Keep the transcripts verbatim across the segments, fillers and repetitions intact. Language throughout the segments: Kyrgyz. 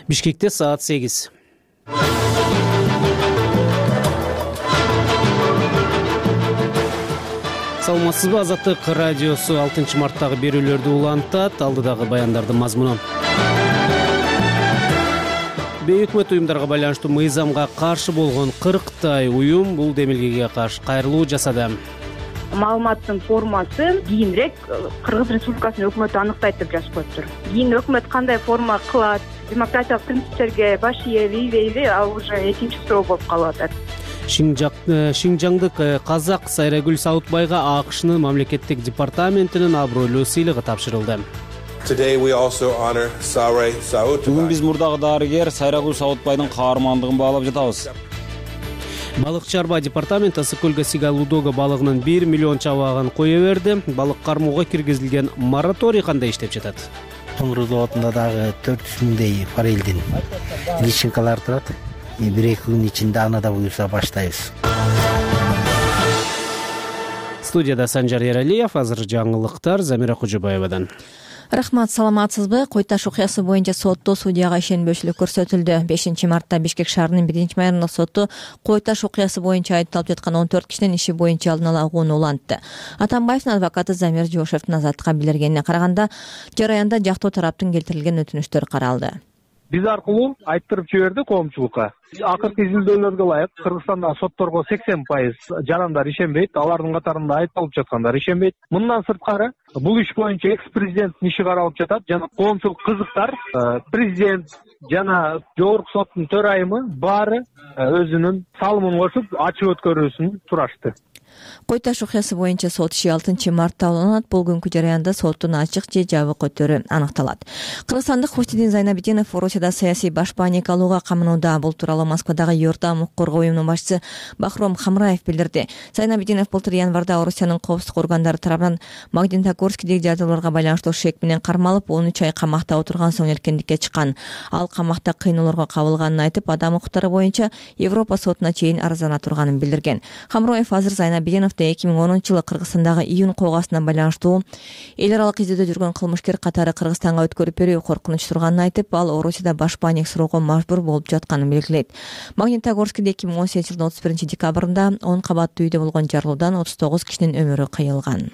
Бишкекте саат сегиз. Саламатсызбы, Азаттык радиосу алтынчы марттагы берүүлөрдү улантат. Алдыдагы баяндардын мазмуну. Бейөкмөт уюмдарга байланыштуу мыйзамга каршы болгон кырктай уюм бул демилгеге каршы кайрылуу жасады. Маалыматтын формасы кийинирээк Кыргыз Республикасынын өкмөтү анықтайт деп жазып коюптур. Кийин өкмөт кандай форма кылат, демократиялык принциптерге баш ийеби, ийбейби, ал уже экинчи суроо болуп калып атат. Шинжаңдык казак Сайрагүл Саутбайга АКШнын мамлекеттик департаментинин абройлуу сыйлыгы тапшырылды. Бүгүн биз мурдагы дарыгер Сайрагүл Саутбайдын каармандыгын баалап жатабыз. Балык чарба департаменти Ысык көлгө Сига Лудога балыгынын бир миллион чабагын кое берди. Балык кармоого киргизилген мораторий кандай иштеп жатат? Тоңгур заводунда дагы төрт жүз миңдей форелдин личинкалар турат. бир эки күн ичинде аны да буюрса баштайбыз. Студияда Санжар Эралиев, азыр жаңылыктар Замира Кужубаевадан. Рахмат, саламатсызбы? Кой-Таш окуясы боюнча сотто судьяга ишенбөөчүлүк көрсөтүлдү. бешинчи мартта Бишкек шаарынын биринчи майордук соту Кой-Таш окуясы боюнча айыпталып жаткан он төрт кишинин иши боюнча алдын ала угууну улантты. Атамбаевдин адвокаты Замир Жошевдин Азаттыкка билдиргенине караганда, жараянда жактоо тараптын келтирилген өтүнүчтөр каралды. Биз аркылуу айттырып жиберди коомчулукка. Акыркы изилдөөлөргө ылайык Кыргызстандагы сотторго сексен пайыз жарандар ишенбейт, алардын катарында айыпталып жаткандар ишенбейт. Мындан сырткары бул иш боюнча экс-президенттин иши каралып жатат жана коомчулук кызыктар, президент жана жогорку соттун төрайымы баары өзүнүн салымын кошуп ачык өткөрүүсүн сурашты. Кой-Таш окуясы боюнча сот иши алтынчы мартта уланат. Бул күнкү жараянда соттун ачык же жабык өтөрү аныкталат. Кыргызстандык Хустидин Зайнабидинов Орусияда саясий баш бааник алууга камынууда. Бул тууралуу Москвадагы Юртам укук коргоо уюмунун башчысы Бахром Хамраев билдирди. Зайнабидинов былтыр январда Орусиянын коопсуздук органдары тарабынан Магнитогорскидеги жагдайларга байланыштуу шек менен кармалып, он үч ай камакта отурган соң эркиндикке чыккан. Ал камакта кыйноолорго кабылганын айтып, адам укуктары боюнча Европа сотуна чейин арызына турганын билдирген. Хамраев азыр Зайнабидиновду эки миң онунчу жылы Кыргызстандагы июнь коогасына байланыштуу эл аралык изилдөөдө жүргөн кылмышкер катары Кыргызстанга өткөрүп берүү коркунуч турганын айтып, ал Орусияда баш бааник суроого мажбур болуп жатканын белгилейт. Магнитогорскиде эки миң он сегизинчи жылдын отуз биринчи декабрында он кабаттуу үйдө болгон жарылуудан отуз тогуз кишинин өмүрү кыйылган.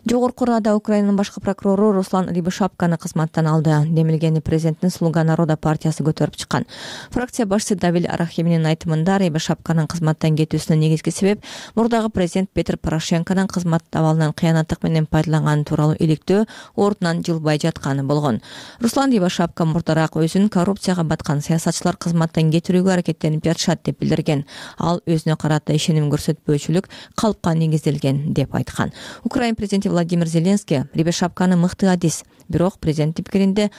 Жогорку Рада Украинанын башкы прокурору Руслан Рябошапканы кызматтан алды. Демилгени президенттин Слуга народа партиясы көтөрүп чыккан. Фракция башчысы Давиль Арахиминин айтымында Рябошапканын кызматтан кетүүсүнүн негизги себеп мурдагы президент Петр Порошенконун кызмат абалынан кыянаттык менен пайдаланганы тууралуу иликтөө ордунан жылбай жатканы болгон. Руслан Рябошапка мурдараак өзүн коррупцияга баткан саясатчылар кызматтан кетирүүгө аракеттенип жатышат деп билдирген. Ал өзүнө карата ишеним көрсөтпөөчүлүк калпка негизделген деп айткан. Украин президенти Владимир Зеленский Рябошапканы мыкты адис, бирок президенттин пикиринде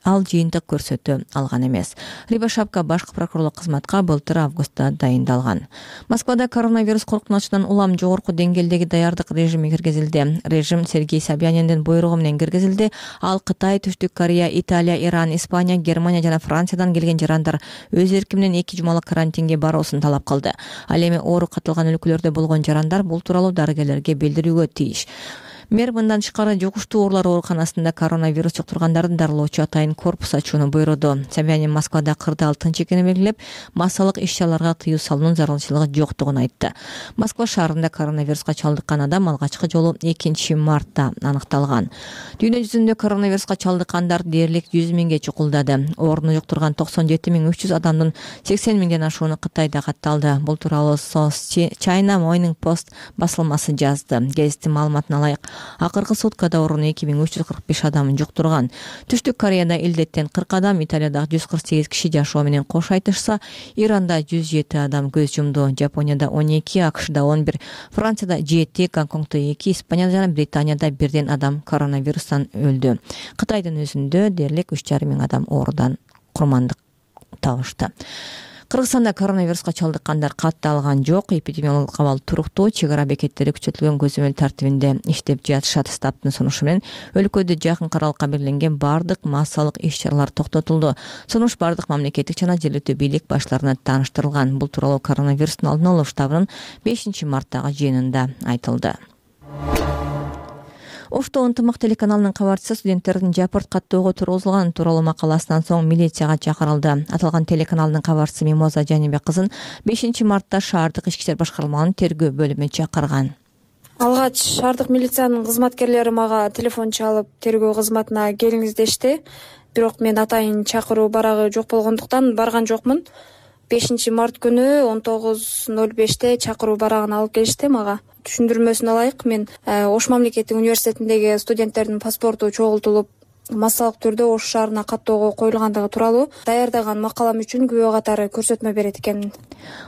ал жыйынтык көрсөтө алган эмес. Рябошапка башкы прокурорлук кызматка былтыр августта дайындалган. Москвада коронавирус коркунучунан улам жогорку деңгээлдеги даярдык режими киргизилди. Режим Сергей Собяниндин буйругу менен киргизилди. Ал Кытай, Түштүк Корея, Италия, Иран, Испания, Германия жана Франциядан келген жарандар өз эрки менен эки жумалык карантинге баруусун талап кылды. Ал эми оору катылган өлкөлөрдө болгон жарандар бул тууралуу дарыгерлерге билдирүүгө тийиш. Мэр мындан тышкары жугуштуу оорулар ооруканасында коронавирус жуктургандардын дарылоочу атайын корпус ачууну буйруду. Собянин Москвада кырдаал алтынчы экенин белгилеп, массалык иш-чараларга тыюу салуунун зарылчылыгы жоктугун айтты. Москва шаарында коронавируска чалдыккан адам алгачкы жолу экинчи мартта аныкталган. Дүйнө жүзүндө коронавируска чалдыккандар дээрлик жүз миңге чукулдады. Ооруну жуктурган токсон жети миң үч жүз адамдын сексен миңден ашууну Кытайда катталды. Бул тууралуу China Morning Post басылмасы жазды. Гезиттин маалыматына ылайык, акыркы суткада ооруну эки миң үч жүз кырк беш адам жуктурган. Түштүк Кореяда илдеттен кырк адам, Италияда жүз кырк сегиз киши жашоо менен кош айтышса, Иранда жүз жети адам көз жумду. Жапонияда он эки, АКШда он бир, Францияда жети, Гонконгдо эки, Испанияда жана Британияда бирден адам коронавирустан өлдү. Кытайдын өзүндө дээрлик үч жарым миң адам оорудан курмандык табышты. Кыргызстанда коронавируска чалдыккандар катталган жок. Эпидемиологиялык абал туруктуу, чек ара бекеттери күчөтүлгөн көзөмөл тартибинде иштеп жатышат. Стабтын сунушу менен өлкөдө жакын аралыкка белгиленген бардык массалык иш-чаралар токтотулду. Сунуш бардык мамлекеттик жана жергиликтүү бийлик баштарына тааныштырылган. Бул тууралуу коронавирустун алдын алуу штабынын бешинчи марттагы жыйынында айтылды. Ошто ынтымак телеканалынын кабарчысы студенттердин жапырт каттоого тургузулганы тууралуу макаласынан соң милицияга чакырылды. Аталган телеканалдын кабарчысы Мимоза Жанибек кызын бешинчи мартта шаардык ички иштер башкармалыгынын тергөө бөлүмү чакырган. Алгач шаардык милициянын кызматкерлери мага телефон чалып тергөө кызматына келиңиз дешти. Бирок мен атайын чакыруу барагы жок болгондуктан барган жокмун. бешинчи март күнү он тогуз ноль беште чакыруу барагын алып келишти мага. Түшүндүрмөсүн алайык, мен Ош мамлекеттик университетиндеги студенттердин паспорту чогултулуп, массалык түрдө Ош шаарына каттоого коюлгандыгы тууралуу даярдаган макалам үчүн күбө катары көрсөтмө берет экенмин.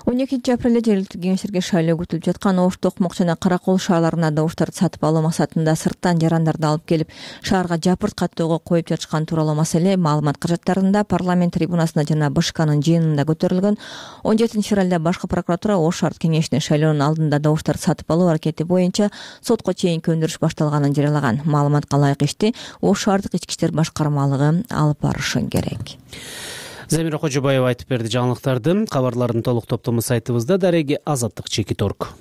он экинчи апрелде жергиликтүү кеңештерге шайлоо күтүлүп жаткан Ош, Токмок жана Каракол шаарларына да оштарды сатып алуу максатында сырттан жарандарды алып келип шаарга жапырт каттоого коюп жатышкан тууралуу маселе маалымат каражаттарында парламент трибунасында жана БШКнын жыйынында көтөрүлгөн. он жетинчи февралда башкы прокуратура Ош шаардык кеңешине шайлоонун алдында да оштарды сатып алуу аракети боюнча сотко чейинки өндүрүш башталганын жарыялаган. Маалыматка ылайык ишти Ош шаардык ички иштер башкармалыгы алып барышы керек. Замира Кожобаева айтып берди жаңылыктарды. Кабарлардын толук топтому сайтыбызда. Дареги Азаттык чекит орг.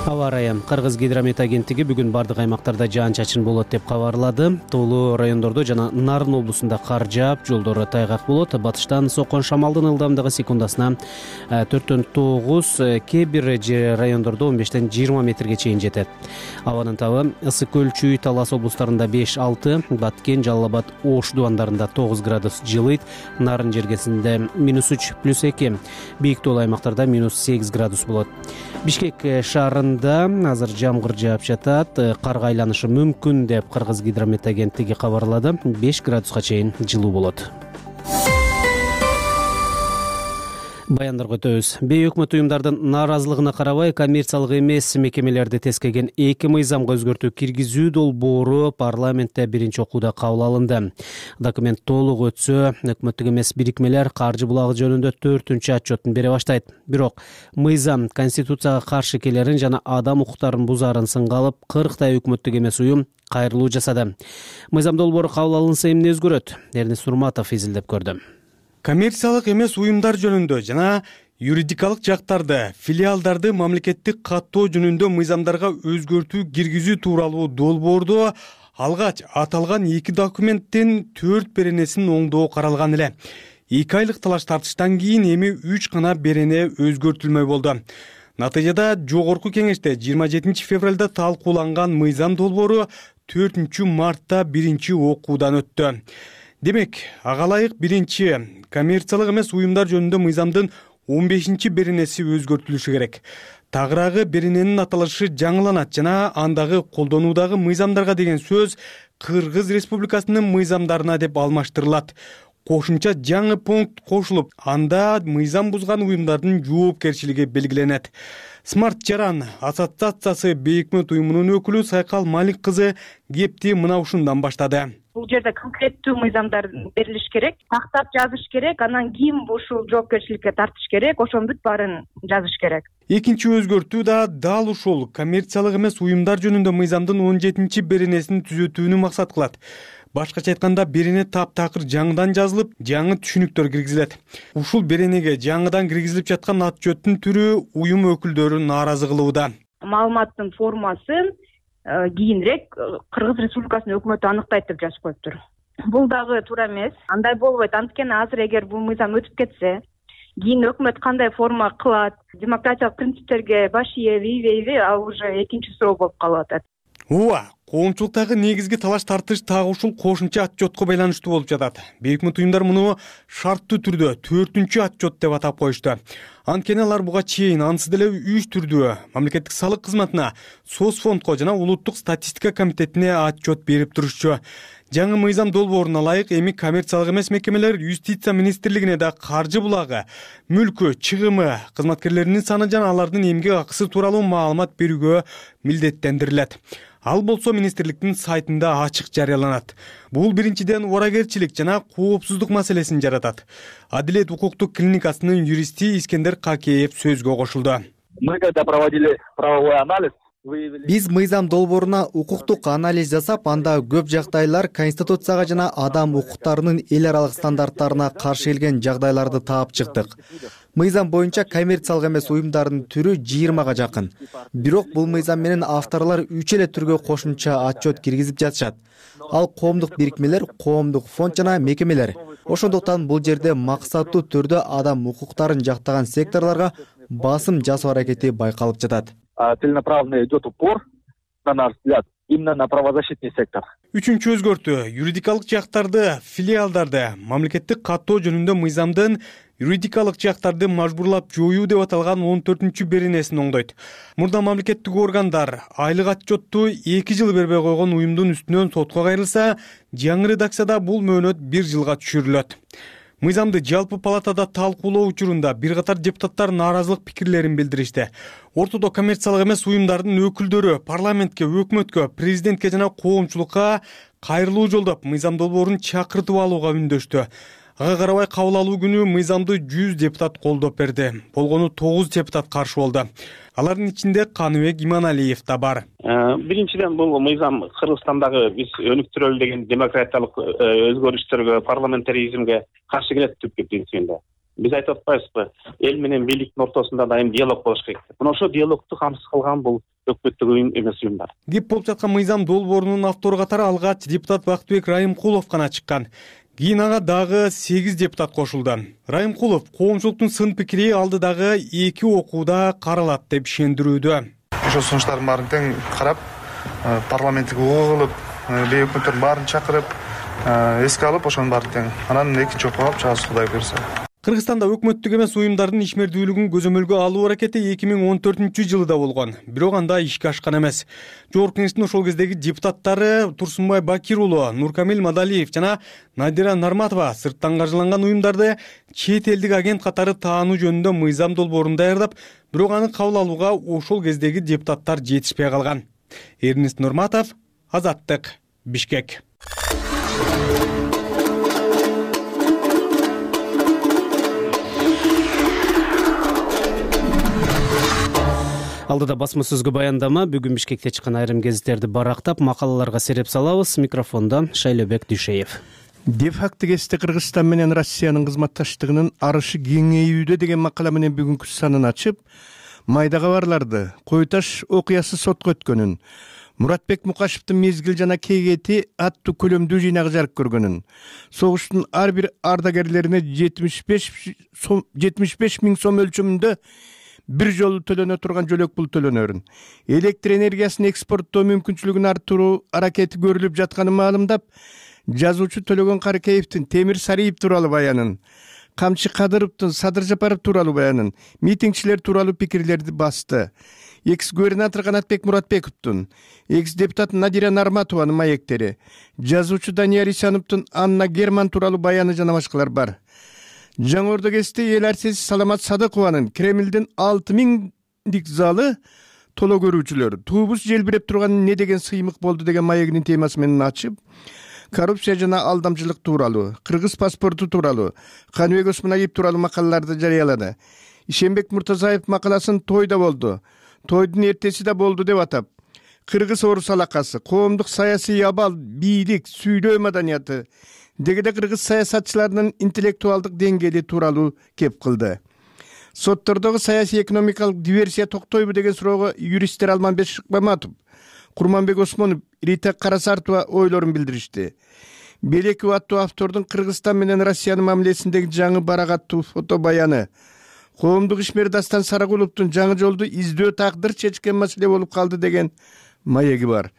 Аба ырайы. Кыргыз гидромет агенттиги бүгүн бардык аймактарда жаан-чачын болот деп кабарлады. Тоолуу райондордо жана Нарын облусунда кар жаап, жолдору тайгак болот. Батыштан соккон шамалдын ылдамдыгы секундасына төрттөн тогуз, кээ бир райондордо он бештен жыйырма метрге чейин жетет. Абанын табы Ысык көл, Чүй, Талас облустарында беш алты, Баткен, Жалал Абад, Ош дубандарында тогуз градус жылыйт. Нарын жергесинде минус үч плюс эки, бийик тоолуу аймактарда минус сегиз градус болот. Бишкек шаарында азыр жамгыр жаап жатат. Карга айланышы мүмкүн деп Кыргыз гидромет агенттиги кабарлады. беш градуска чейин жылуу болот. Баяндарга өтөбүз. Бейөкмөт уюмдардын нааразылыгына карабай, коммерциялык эмес мекемелерди тескеген эки мыйзамга өзгөртүү киргизүү долбоору парламентте биринчи окууда кабыл алынды. Документ толук өтсө, өкмөттүк эмес бирикмелер каржы булагы жөнүндө төртүнчү отчетун бере баштайт. Бирок мыйзам конституцияга каршы келерин жана адам укуктарын бузаарын сынга алып, кырктай өкмөттүк эмес уюм кайрылуу жасады. Мыйзам долбоору кабыл алынса эмне өзгөрөт? Эрнис Урматов изилдеп көрдү. Коммерциялык эмес уюмдар жөнүндө жана юридикалык жактарды, филиалдарды мамлекеттик каттоо жөнүндө мыйзамдарга өзгөртүү киргизүү тууралуу долбоордо алгач аталган эки документтин төрт беренесин оңдоо каралган эле. эки айлык талаш тартыштан кийин эми үч гана берене өзгөртүлмөй болду. Натыйжада жогорку кеңеште жыйырма жетинчи февралда талкууланган мыйзам долбоору төртүнчү мартта биринчи окуудан өттү. Демек, ага ылайык биринчи коммерциялык эмес уюмдар жөнүндө мыйзамдын он бешинчи беренеси өзгөртүлүшү керек. Тагыраагы берененин аталышы жаңыланат жана андагы колдонуудагы мыйзамдарга деген сөз Кыргыз Республикасынын мыйзамдарына деп алмаштырылат. Кошумча жаңы пункт кошулуп, анда мыйзам бузган уюмдардын жоопкерчилиги белгиленет. Смарт Жаран ассоциациясы бейөкмөт уюмунун өкүлү Сайкал Малик кызы кепти мына ушундан баштады. Бул жерде конкреттүү мыйзамдар берилиш керек, тактап жазыш керек, анан ким ушул жоопкерчиликке тартыш керек, ошонун бүт баарын жазыш керек. Экинчи өзгөртүү да дал ушул коммерциялык эмес уюмдар жөнүндө мыйзамдын он жетинчи беренесин түзөтүүнү максат кылат. Башкача айтканда, берене таптакыр жаңыдан жазылып, жаңы түшүнүктөр киргизилет. Ушул беренеге жаңыдан киргизилип жаткан отчеттун түрү уюм өкүлдөрү нааразы кылууда. Маалыматтын формасын кийинирээк Кыргыз Республикасынын өкмөтү аныктайт деп жазып коюптур. Бул дагы туура эмес. Андай болбойт. Анткени азыр эгер бул мыйзам өтүп кетсе, кийин өкмөт кандай форма кылат, демократиялык принциптерге баш ийеби, ийбейби, ал уже экинчи суроо болуп калып атат. Ооба, коомчулуктагы негизги талаш тартыш так ушул кошумча отчетко байланыштуу болуп жатат. Бейөкмөт уюмдар муну шарттуу түрдө төртүнчү отчет деп атап коюшту. Анткени алар буга чейин ансыз деле үч түрдүү мамлекеттик салык кызматына, Соцфондко жана улуттук статистика комитетине отчет берип турушчу. Жаңы мыйзам долбооруна ылайык эми коммерциялык эмес мекемелер юстиция министрлигине да каржы булагы, мүлкү, чыгымы, кызматкерлеринин саны жана алардын эмгек акысы тууралуу маалымат берүүгө милдеттендирилет. Ал болсо министрликтин сайтында ачык жарыяланат. Бул биринчиден орагерчилик жана коопсуздук маселесин жаратат. Адилет укуктук клиникасынын юристи Искендер Какеев сөзгө кошулду. Мы когда проводили правовой анализ, биз мыйзам долбооруна укуктук анализ жасап, анда көп жагдайлар Конституцияга жана адам укуктарынын эл аралык стандарттарына каршы келген жагдайларды таап чыктык. Мыйзам боюнча коммерциялык эмес уюмдардын түрү жыйырмага жакын. Бирок бул мыйзам менен авторлор үч эле түргө кошумча отчет киргизип жатышат. Ал коомдук бирикмелер, коомдук фонд жана мекемелер. Ошондуктан бул жерде максаттуу түрдө адам укуктарын жактаган секторлорго басым жасоо аракети байкалып жатат. Целенаправленно идет упор, на наш взгляд, именно на правозащитный сектор. Үчүнчү өзгөртүү юридикалык жактарды, филиалдарды мамлекеттик каттоо жөнүндө мыйзамдын юридикалык жактарды мажбурлап жоюу деп аталган он төртүнчү беренесин оңдойт. Мурда мамлекеттик органдар айлык отчетту эки жыл бербей койгон уюмдун үстүнөн сотко кайрылса, жаңы редакцияда бул мөөнөт бир жылга түшүрүлөт. Мыйзамды жалпы палатада талкуулоо учурунда бир катар депутаттар нааразылык пикирлерин билдиришти. Ортодо коммерциялык эмес уюмдардын өкүлдөрү парламентке, өкмөткө, президентке жана коомчулукка кайрылуу жолдоп мыйзам долбоорун чакыртып алууга үндөштү. Ага карабай кабыл алуу күнү мыйзамды жүз депутат колдоп берди. Болгону тогуз депутат каршы болду. Алардын ичинде Каныбек Иманалиев да бар. Биринчиден бул мыйзам Кыргызстандагы биз өнүктүрөлү деген демократиялык өзгөрүштөргө, парламентаризмге каршы келет түпкү принцибинде. Биз айтып атпайбызбы, эл менен бийликтин ортосунда дайым диалог болуш керек. Мына ошо диалогду камсыз кылган бул өкмөттүк уюм эмес уюмдар. Кеп болуп жаткан мыйзам долбоорунун автору катары алгач депутат Бактыбек Райымкулов гана чыккан. Кийин ага дагы сегиз депутат кошулду. Райымкулов коомчулуктун сын пикири алдыдагы эки окууда каралат деп ишендирүүдө. Ошо сунуштардын баарын тең карап, парламенттик угуу кылып, бей өкмөттөрдүн баарын чакырып, эске алып, ошонун баарын тең анан экинчи окууга алып чыгабыз, Кудай буйрса. Кыргызстанда өкмөттүк эмес уюмдардын ишмердүүлүгүн көзөмөлгө алуу аракети эки миң он төртүнчү жылы да болгон. Бирок анда ишке ашкан эмес. Жогорку кеңештин ошол кездеги депутаттары Турсунбай Бакир уулу, Нуркамил Мадалиев жана Надира Нарматова сырттан каржыланган уюмдарды чет элдик агент катары таануу жөнүндө мыйзам долбоорун даярдап, бирок аны кабыл алууга ошол кездеги депутаттар жетишпей калган. Эрнест Нурматов, Азаттык, Бишкек. Алдыда басма сөзгө баяндама, бүгүн Бишкекте чыккан айрым гезиттерди барактап, макалаларга сереп салабыз. Микрофондо Шайлебек Дүйшеев. Де-факто кесте Кыргызстан менен Россиянын кызматташтыгынын арышы кеңейүүдө деген макала менен бүгүнкү санын ачып, майда кабарларды, Кой Таш окуясы сотко өткөнүн, Муратбек Мукашевдин Мезгил жана Кейгети аттуу көлөмдүү жыйнагы жарык көргөнүн, согуштун ар бир ардагерлерине жетимиш беш миң сом өлчөмүндө бир жолу төлөнө турган жөлөк пул төлөнөрүн, электр энергиясын экспорттоо мүмкүнчүлүгүн арттыруу аракети көрүлүп жатканын маалымдап, жазуучу Төлөгөн Карыкеевдин Темир Сариев тууралуу баянын, Камчы Кадыровдун Садыр Жапаров тууралуу баянын, митингчилер тууралуу пикирлерди басты. Экс-губернатор Канатбек Муратбековдун, экс-депутат Надира Нарматованын маектери, жазуучу Данияр Исановдун Анна Герман тууралуу баяны жана башкалар бар. Жаңы Ордо кесте эл артисти Саламат Садыкованын Кремлдин алты миңдик залы толо көрүүчүлөр туубуз желбиреп турган не деген сыймык болду деген маегинин темасы менен ачып, коррупция жана алдамчылык тууралуу, кыргыз паспорту тууралуу, Каныбек Осмоналиев тууралуу макалаларды жарыялады. Ишенбек Муртазаев макаласын тойда болду, тойдун эртеси да болду деп атап, кыргыз орус алакасы, коомдук саясий абал, бийлик, сүйлөө маданияты дегеде кыргыз саясатчыларынын интеллектуалдык деңгээли тууралуу кеп кылды. Соттордогу саясий экономикалык диверсия токтойбу деген суроого юристтер Алманбек Шыкмаматов, Курманбек Осмонов, Рита Карасартова ойлорун билдиришти. Белеков аттуу автордун Кыргызстан менен Россиянын мамилесиндеги жаңы барак аттуу фото баяны, коомдук ишмер Дастан Сарагуловдун жаңы жолду издөө тагдыр чечкен маселе болуп калды деген маеги бар.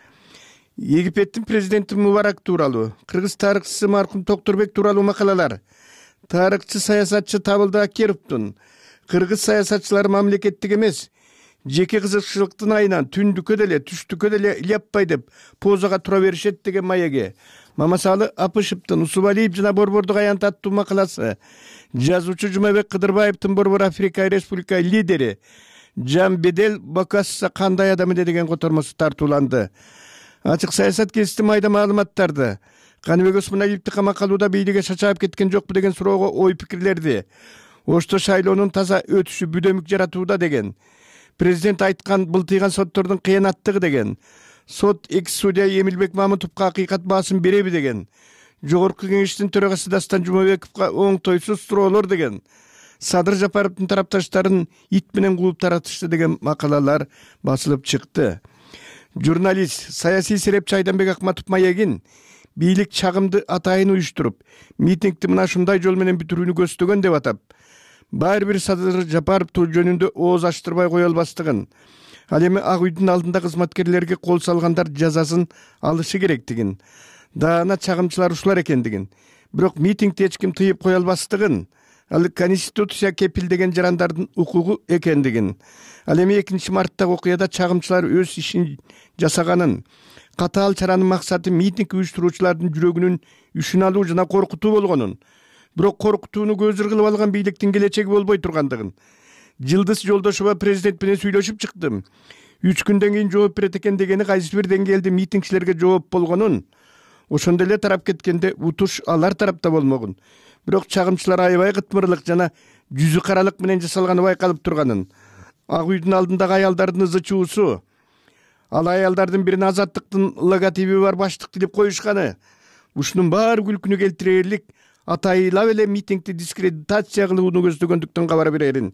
Египеттин президенти Мубарак тууралуу, кыргыз тарыхчысы маркум Токторбек тууралуу макалалар, тарыхчы саясатчы Табылды Акеровдун кыргыз саясатчылары мамлекеттик эмес, жеке кызыкчылыктын айынан түндүккө деле, түштүккө деле ляппай деп позага тура беришет деген маеги, Мамасалы Апышевдин Усубалиев жана Борбордук аянт аттуу макаласы, жазуучу Жумабек Кыдырбаевдин Борбор Африка Республика лидери Жан Бедел Бокасса кандай адам эле деген котормосу тартууланды. Ачык саясат кести майда маалыматтарды, Каныбек Осмоналиевди камакка алууда бийликке шачаап кеткен жокпу деген суроого ой пикирлерди. Ошто шайлоонун таза өтүшү бүдөмүк жаратууда деген, президент айткан былтыйган соттордун кыянаттыгы деген, сот экс-судья Эмилбек Мамытовго акыйкат баасын береби деген, жогорку кеңештин төрагасы Дастан Жумабековго оңтойсуз суроолор деген, Садыр Жапаровдун тарапташтарын ит менен кууп таратышты деген макалалар басылып чыкты. Журналист, саясий серепчи Айданбек Акматов маегин бийлик чагымды атайын уюштуруп, митингди мына ушундай жол менен бүтүрүүнү көздөгөн деп атап, баары бир Садыр Жапаров жөнүндө ооз ачтырбай кое албастыгын, ал эми Ак үйдүн алдында кызматкерлерге кол салгандар жазасын алышы керектигин, даана чагымчылар ушулар экендигин, бирок митингди эч ким тыйып кое албастыгын, ал конституция кепилдеген жарандардын укугу экендигин, ал эми экинчи марттагы окуяда чагымчылар өз ишин жасаганын, катаал чаранын максаты митинг уюштуруучулардын жүрөгүнүн үшүн алуу жана коркутуу болгонун, бирок коркутууну көзүр кылып алган бийликтин келечеги болбой тургандыгын. Жылдыз Жолдошова президент менен сүйлөшүп чыктым. Үч күндөн кийин жооп берет экен дегени кайсы бир деңгээлде митингчилерге жооп болгонун, ошондо эле тарап кеткенде утуш алар тарапта болмогун. Бирок чагымчылар аябай кытмырлык жана жүзү каралык менен жасалганы байкалып турганын. Ак үйдүн алдындагы аялдардын ызы чуусу, ал аялдардын бирине азаттыктын логотиби бар баштык тилип коюшканы, ушунун баары күлкүнү келтирерлик атайлап эле митингди дискредитация кылууну көздөгөндүктөн кабар берерин.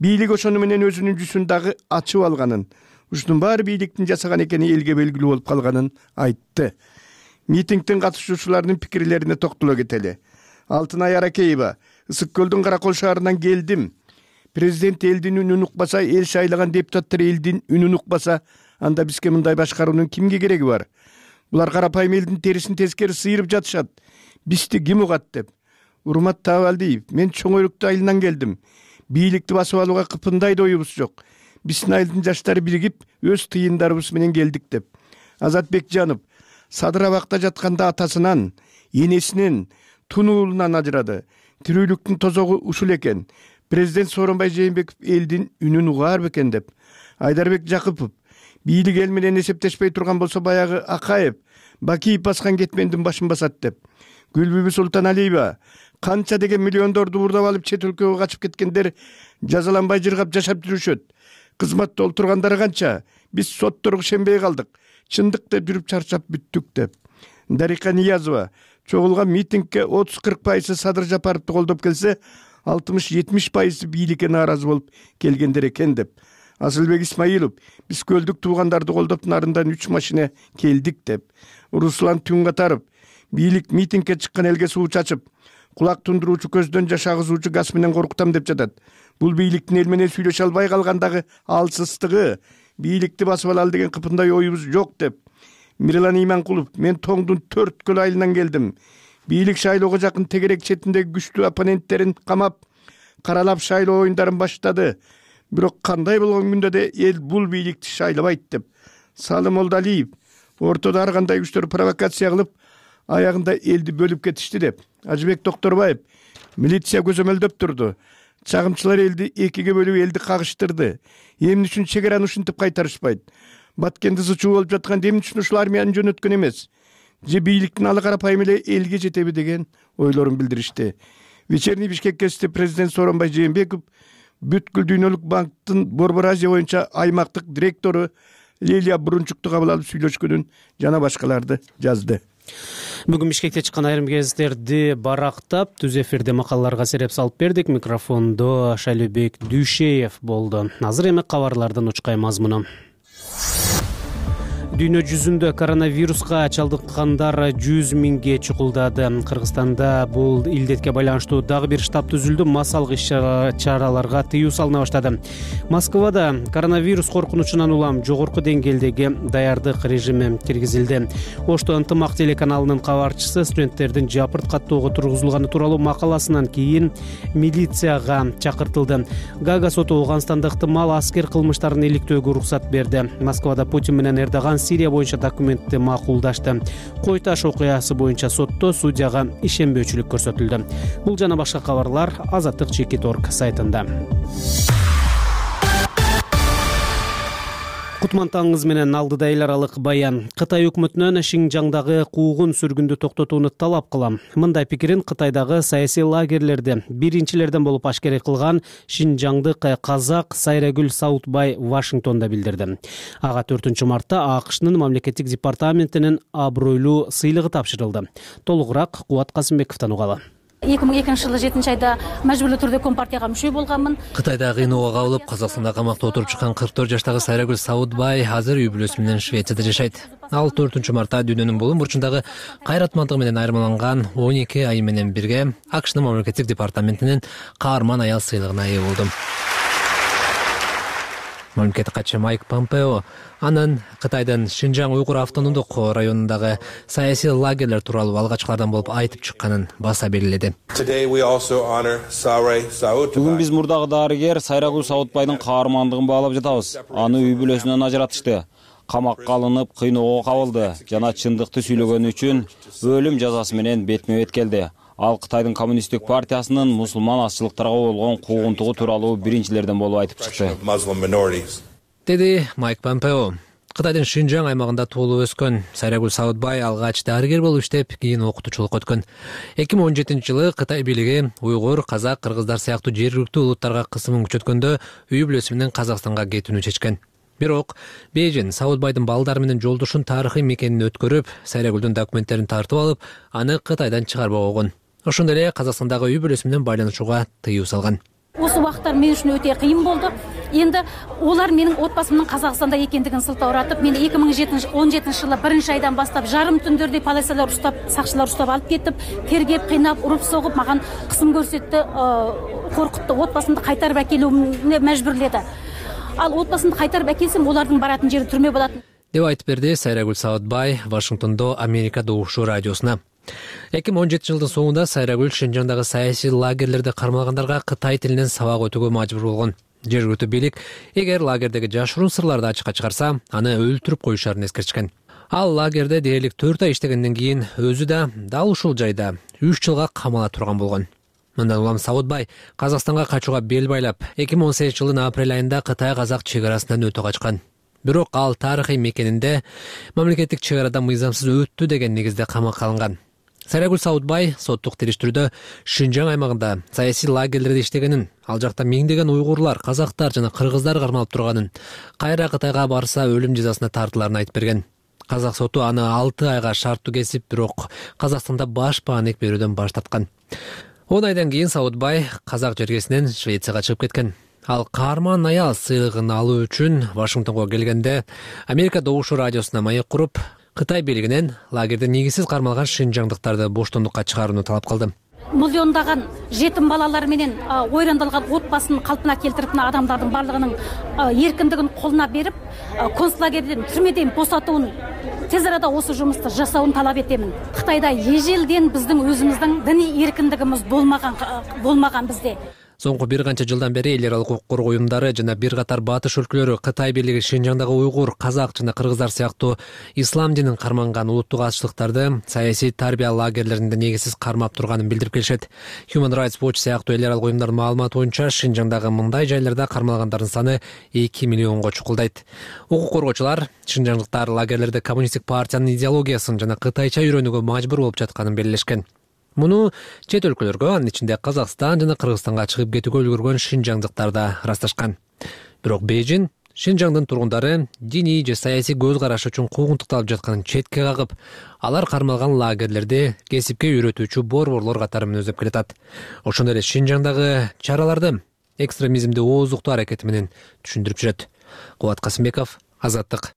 Бийлик ошону менен өзүнүн жүзүн дагы ачып алганын, ушунун баары бийликтин жасаган экени элге белгилүү болуп калганын айтты. Митингдин катышуучуларынын пикирлерине токтоло кетели. Алтынай Аракеева, Ысык көлдүн Каракол шаарынан келдим. Президент элдин үнүн укпаса, эл шайлаган депутаттар элдин үнүн укпаса, анда бизге мындай башкаруунун кимге кереги бар? Булар карапайым элдин терисин тескери сыйрып жатышат. Бизди ким угат деп. Урмат Табалдиев, мен чоң өрүктүү айылынан келдим. Бийликти басып алууга кыпындай да оюбуз жок. Биздин айылдын жаштары биригип, өз тыйындарыбыз менен келдик деп. Азат Бекжанов, Садыр абакта жатканда атасынан, энесинен, тунуулунан ажырады. Тирүүлүктүн тозогу ушул экен. Президент Сооронбай Жээнбеков элдин үнүн угаар бекен деп. Айдарбек Жакыпов, бийлик эл менен эсептешпей турган болсо баягы Акаев, Бакиев баскан кетмендин башын басат деп. Гүлбүбү Султаналиева, канча деген миллиондорду уурдап алып чет өлкөгө качып кеткендер жазаланбай жыргап жашап жүрүшөт. Кызматта олтургандары канча? Биз сотторго ишенбей калдык. Чындык деп жүрүп чарчап бүттүк деп. Дарика Ниязова, чогулган митингге отуз кырк пайызы Садыр Жапаровду колдоп келсе, алтымыш жетимиш пайызы бийликке нааразы болуп келгендер экен деп. Асылбек Исмаилов, биз көлдүк туугандарды колдоп нарындан үч машина келдик деп. Руслан Түнгатаров, бийлик митингге чыккан элге суу чачып, кулак тундуруучу көздөн жаш агызуучу газ менен коркутам деп жатат. Бул бийликтин эл менен сүйлөшө албай калгандагы алсыздыгы, бийликти басып алалы деген кыпындай оюбуз жок деп. Мирлан Иманкулов, мен Тоңдун төрт көл айылынан келдим. Бийлик шайлоого жакын тегерек четиндеги күчтүү оппоненттерин камап, каралап шайлоо оюндарын баштады. Бирок кандай болгон күндө да эл бул бийликти шайлабайт деп. Салым Молдалиев, ортодо ар кандай күчтөр провокация кылып, аягында элди бөлүп кетишти деп. Ажыбек Докторбаев, милиция көзөмөлдөп турду. Чагымчылар элди экиге бөлүп элди кагыштырды. Эмне үчүн чек араны ушинтип кайтарышпайт? Баткенди сычуу болуп жатканда эмне үчүн ушул армияны жөнөткөн эмес? Же бийликтин алы карапайым эле элге жетеби деген ойлорун билдиришти. Вечерний Бишкек гезити президент Сооронбай Жээнбеков бүткүл дүйнөлүк банктын Борбор Азия боюнча аймактык директору Лилия Бурунчукту кабыл алып сүйлөшкөнүн жана башкаларды жазды. Бүгүн Бишкекте чыккан айрым гезиттерди барактап, түз эфирде макалаларга сереп салып бердик. Микрофондо Шайлебек Дүйшеев болду. Азыр эми кабарлардын учкай мазмуну. Дүйнө жүзүндө коронавируска чалдыккандар жүз миңге чукулдады. Кыргызстанда бул илдетке байланыштуу дагы бир штаб түзүлдү. Массалык иш-чараларга тыюу салына баштады. Москвада коронавирус коркунучунан улам жогорку деңгээлдеги даярдык режими киргизилди. Ошто ынтымак телеканалынын кабарчысы студенттердин жапырт каттоого тургузулганы тууралуу макаласынан кийин милицияга чакыртылды. Гага соту Ооганстанда ыктымал аскер кылмыштарын иликтөөгө уруксат берди. Москвада Путин менен Эрдоган Сирия боюнча документти макулдашты. Кой таш окуясы боюнча сотто судьяга ишенбөөчүлүк көрсөтүлдү. Бул жана башка кабарлар Азаттык чекит точка орг сайтында. Кутмантаңыз менен алдыда эл аралык баян. Кытай өкмөтүнөн Шинжаңдагы куугун сүргүндү токтотууну талап кылам. Мындай пикирин Кытайдагы саясий лагерлерде биринчилерден болуп ашкерей кылган шинжаңдык казак Сайрагүл Саутбай Вашингтонда билдирди. Ага төртүнчү мартта АКШнын мамлекеттик департаментинин абройлуу сыйлыгы тапшырылды. Толугураак Кубат Касымбековдон угалы. эки миң экинчи жылы жетинчи айда мажбурлуу түрдө компартияга мүчө болгонмун. Кытайда кыйноого кабылып, Казакстанда камакта отуруп чыккан кырк төрт жаштагы Сайрагүл Саудбай азыр үй бүлөсү менен Швецияда жашайт. Ал төртүнчү мартта дүйнөнүн булуң бурчундагы кайратмандыгы менен айырмаланган он эки айы менен бирге АКШнын мамлекеттик департаментинин каарман аял сыйлыгына ээ болду. Мамлекеттик катчы Майк Помпео анын Кытайдын Шинжаң уйгур автономдук районундагы саясий лагерлер тууралуу алгачкылардан болуп айтып чыкканын баса белгиледи. Бүгүн биз мурдагы дарыгер Сайрагүл Саудбайдын каармандыгын баалап жатабыз. Аны үй бүлөсүнөн ажыратышты. Камакка алынып, кыйноого кабылды жана чындыкты сүйлөгөнү үчүн өлүм жазасы менен бетме-бет келди. Ал Кытайдын коммунисттик партиясынын мусулман азчылыктарга болгон куугунтугу тууралуу биринчилерден болуп айтып чыкты, деди Майк Помпео. Кытайдын Шинжаң аймагында туулуп өскөн Сайрагүл Саудбай алгач дарыгер болуп иштеп, кийин окутуучулукка өткөн. эки миң он жетинчи жылы Кытай бийлиги уйгур, казак, кыргыздар сыяктуу жергиликтүү улуттарга кысымын күчөткөндө үй бүлөсү менен Казакстанга кетүүнү чечкен. Бирок Бейжин Саудбайдын балдары менен жолдошун тарыхый мекенин өткөрүп, Сайрагүлдүн документтерин тартып алып, аны Кытайдан чыгарбак болгон. Ошондой эле Казакстандагы үй бүлөсү менен байланышууга тыюу салган. Осы убакыттар мен үчүн өтө кыйын болду. Енді олар менің отбасымның Қазақстанда екендігін сылтауратып, мені эки миң он жетинчи жылы биринчи айдан бастап жарым түндөрдө полициялар ұстап, сакчылар ұстап алып кетип, тергеп, кыйнап, уруп согуп, маған кысым көрсөттү, коркутту, отбасымды кайтарып әкелүүгө мәжбүрледі. Ал отбасымды кайтарып әкелсем, олардың баратын жери түрмө болатын деп айтып берди Сайрагүл Саудбай Вашингтондо Америка Добушу радиосуна. эки миң он жетинчи жылдын соңунда Сайрагүл Шинжаңдагы саясий лагерлерде кармалгандарга Кытай тилинен сабак өтүүгө мажбур болгон. Жергиликтүү бийлик эгер лагердеги жашыруун сырларды ачыкка чыгарса, аны өлтүрүп коюшарын эскертишкен. Ал лагерде дээрлик төрт ай иштегенден кийин өзү да дал ушул жайда үч жылга камала турган болгон. Мындан улам Саудбай Казакстанга качууга бел байлап, эки миң он сегизинчи жылдын апрель айында Кытай-Казак чек-арасынан өтө качкан. Бирок ал тарыхый мекенинде мамлекеттик чек-арада мыйзамсыз өттү деген негизде камакка алынган. Сайрагүл Саудбай соттук териштирүүдө Шинжаң аймагында саясий лагерлерде иштегенин, ал жакта миңдеген уйгурлар, казактар жана кыргыздар кармалып турганын, кайра Кытайга барса өлүм жазасына тартыларын айтып берген. Казак соту аны алты айга шарттуу кесип, бирок Казакстанда баш бааник берүүдөн баш тарткан. он айдан кийин Саудбай казак жергесинен Швецияга чыгып кеткен. Ал каарман аял сыйлыгын алуу үчүн Вашингтонго келгенде Америка Добушу радиосуна маек куруп, Кытай бийлигинен лагерде негизсиз кармалган шинжаңдыктарды боштондукка чыгарууну талап кылды. Миллиондаган жетим балалар менен ойрандалган отбасын калпына келтирип, адамдардын барлыгынын эркиндигин колуна берип, концлагерден, түрмөдөн босатууну, тез арада осы жумусту жасауын талап этемин. Кытайда эжелден биздин өзүбүздүн диний эркиндигибиз болмаган болмаган бизде. Соңку бир канча жылдан бери эл аралык укук коргоо уюмдары жана бир катар батыш өлкөлөрү Кытай бийлиги Шинжаңдагы уйгур, казак жана кыргыздар сыяктуу ислам динин карманган улуттук азчылыктарды саясий тарбия лагерлеринде негизсиз кармап турганын билдирип келишет. Human Rights Watch сыяктуу эл аралык уюмдардын маалыматы боюнча Шинжаңдагы мындай жайларда кармалгандардын саны эки миллионго чукулдайт. Укук коргоочулар шинжаңдыктар лагерлерде коммунисттик партиянын идеологиясын жана кытайча үйрөнүүгө мажбур болуп жатканын белгилешкен. Муну чет өлкөлөргө, анын ичинде Казакстан жана Кыргызстанга чыгып кетүүгө үлгүргөн шинжаңдыктар да ырасташкан. Бирок Бейжин Шинжаңдын тургундары диний же саясий көз карашы үчүн куугунтукталып жатканын четке кагып, алар кармалган лагерлерди кесипке үйрөтүүчү борборлор катары мүнөздөп келатат. Ошондой эле Шинжаңдагы чараларды экстремизмди ооздуктоо аракети менен түшүндүрүп жүрөт. Кубат Касымбеков, Азаттык.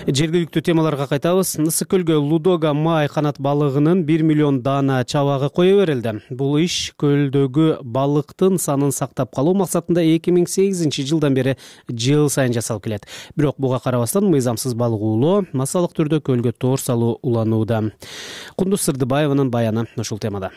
Жергиликтүү темаларга кайтабыз. Ысык көлгө Лудога май канат балыгынын бир миллион даана чабагы кое берилди. Бул иш көлдөгү балыктын санын сактап калуу максатында эки миң сегизинчи жылдан бери жыл сайын жасалып келет. Бирок буга карабастан мыйзамсыз балык уулоо, массалык түрдө көлгө тоор салуу уланууда. Кундуз Сырдыбаеванын баяны ушул темада.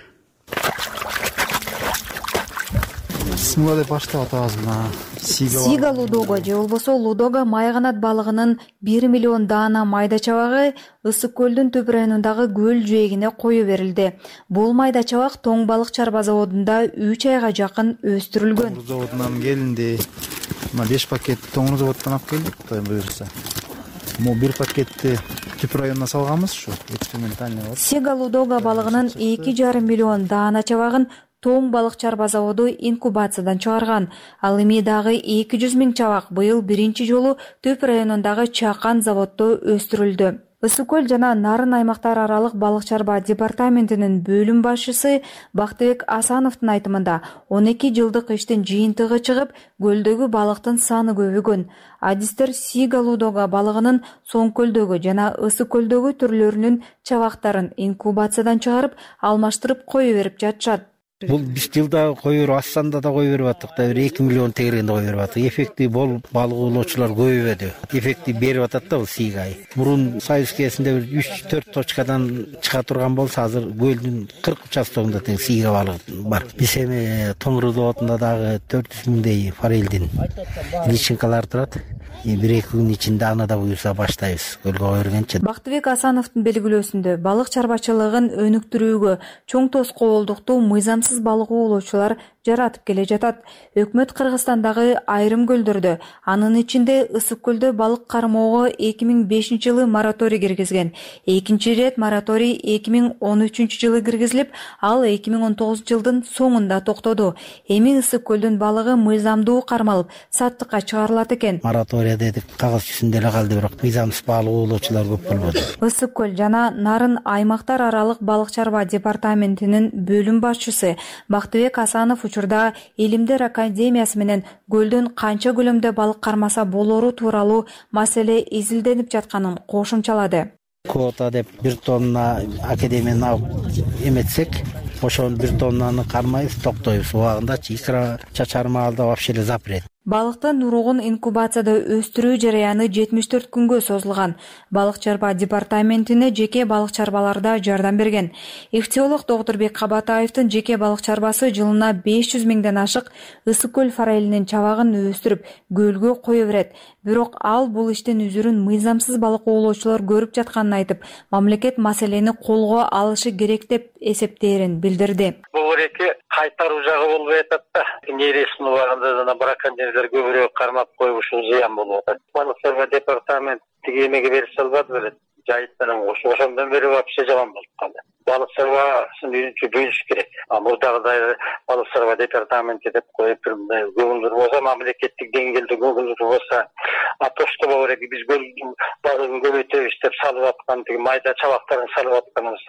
Симга деп баштап атабыз мына Сига Лудога же болбосо Лудога май канат балыгынын бир миллион даана майда чабагы Ысык көлдүн Төп районундагы көл жээгине кое берилди. Бул майда чабак Тоң балык чарба заводунда үч айга жакын өстүрүлгөн. Тоң заводунан келинди. Мына беш пакет Тоң заводдон алып келдик, Кудай буйрса. Мо бир пакетти Төп районуна салганбыз ушу экспериментальный. Сига Лудога балыгынын эки жарым миллион даана чабагын Тоң балык чарба заводу инкубациядан чыгарган. Ал эми дагы эки жүз миң чабак быйыл биринчи жолу Төп районундагы Чакан заводдо өстүрүлдү. Ысык көл жана Нарын аймактар аралык балык чарба департаментинин бөлүм башчысы Бактыбек Асановдун айтымында он эки жылдык иштин жыйынтыгы чыгып, көлдөгү балыктын саны көбөйгөн. Адистер Сига лудога балыгынын Соң көлдөгү жана Ысык көлдөгү түрлөрүнүн чабактарын инкубациядан чыгарып, алмаштырып кое берип жатышат. Бул биз жылда кое берип, Астанда да кое берип аттык да, бир эки миллион тегерегинде кое берип аттык. Эффекти болуп, балык оолоочулар көбөйбөдү. Эффекти берип атат да бул Сигай. Мурун Союз кезинде бир үч төрт точкадан чыга турган болсо, азыр көлдүн кырк участогунда тең Сига балыгы бар. Биз эми Тоңур зоодунда дагы төрт жүз миңдей форелдин личинкалар турат. бир эки күн ичинде аны да буюрса баштайбыз көлгө кое бергенче. Бактыбек Асановдун белгилөөсүндө балык чарбачылыгын өнүктүрүүгө чоң тоскоолдукту мыйзамсыз балык оолоочулар жаратып келе жатат. Өкмөт Кыргызстандагы айрым көлдөрдө, анын ичинде Ысык көлдө балык кармоого эки миң бешинчи жылы мораторий киргизген. Экинчи ирет мораторий эки миң он үчүнчү жылы киргизилип, ал эки миң он тогузунчу жылдын соңунда токтоду. Эми Ысык көлдүн балыгы мыйзамдуу кармалып, саттыкка чыгарылат экен. Мораторий дедик, кагаз жүзүндө эле калды, бирок мыйзамсыз балык оолоочулар көп болбоду. Ысык көл жана Нарын аймактар аралык балык чарба департаментинин бөлүм башчысы Бактыбек Асанов учурда Илимдер академиясы менен көлдөн канча көлөмдө балык кармаса болору тууралуу маселе изилденип жатканын кошумчалады. Квота деп бир тонна академияны алып эметсек, ошонун бир тоннаны кармайбыз, токтойбуз. Убагындачы икра чачарма алда вообще эле запрет. Балыктын уругун инкубацияда өстүрүү жараяны жетимиш төрт күнгө созулган. Балык чарба департаментине жеке балык чарбаларда жардам берген. Ихтиолог Доктурбек Кабатаевдин жеке балык чарбасы жылына беш жүз миңден ашык Ысык көл форелинин чабагын өстүрүп, көлгө кое берет. Бирок ал бул иштин үзүрүн мыйзамсыз балык оолоочулар көрүп жатканын айтып, мамлекет маселени колго алышы керек деп эсептээрин билдирди. Бул эки кайтаруу жагы болбой атат да. Нересин убагында жана браконьерлер көбүрөөк кармап коюп ушул зыян болуп атат. Балык чарба департамент тиги эмеге берише албады беле. Жайыт менен кошуп ошондон бери вообще жаман болуп калды. Балык чарбасын үйрөнчү бөлүш керек. А мурдагыдай балык чарба департаменти деп коюп көңүлдүү болсо, мамлекеттик деңгээлде көңүлдүү болсо, а то что говорят, биз көлдүн балыгын көбөйтөбүз деп салып аткан тиги майда чабактарын салып атканыбыз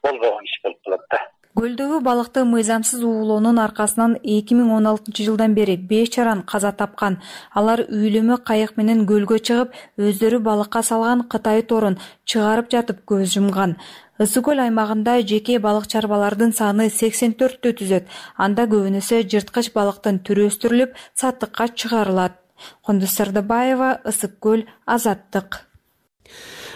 болбогон иш болуп калат да. Көлдөгү балыкты мыйзамсыз уулоонун аркасынан эки миң он алтынчы жылдан бери беш жаран каза тапкан. Алар үйлөмө кайык менен көлгө чыгып, өздөрү балыкка салган Кытай торун чыгарып жатып көз жумган. Ысык көл аймагында жеке балык чарбалардын саны сексен төрттү түзөт. Анда көбүнөсү жырткыч балыктын түрү өстүрүлүп, саттыкка чыгарылат. Кондус Сардыбаева, Ысык көл, Азаттык.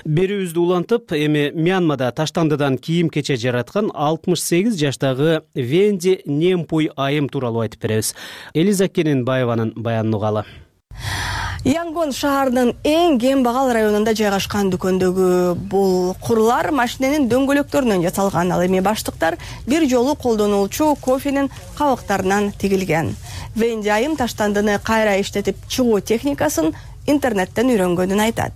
Берүүбүздү улантып, эми Мьянмада таштандыдан кийим кече жараткан алтымыш сегиз жаштагы Венди Немпуй айым тууралуу айтып беребиз. Элиза Кененбаеванын баянын угалы. Янгон шаарынын эң кем багал районунда жайгашкан дүкөндөгү бул курлар машиненин дөңгөлөктөрүнөн жасалган. Ал эми баштыктар бир жолу колдонулчу кофенин кабыктарынан тигилген. Венди айым таштандыны кайра иштетип чыгуу техникасын интернеттен үйрөнгөнүн айтат.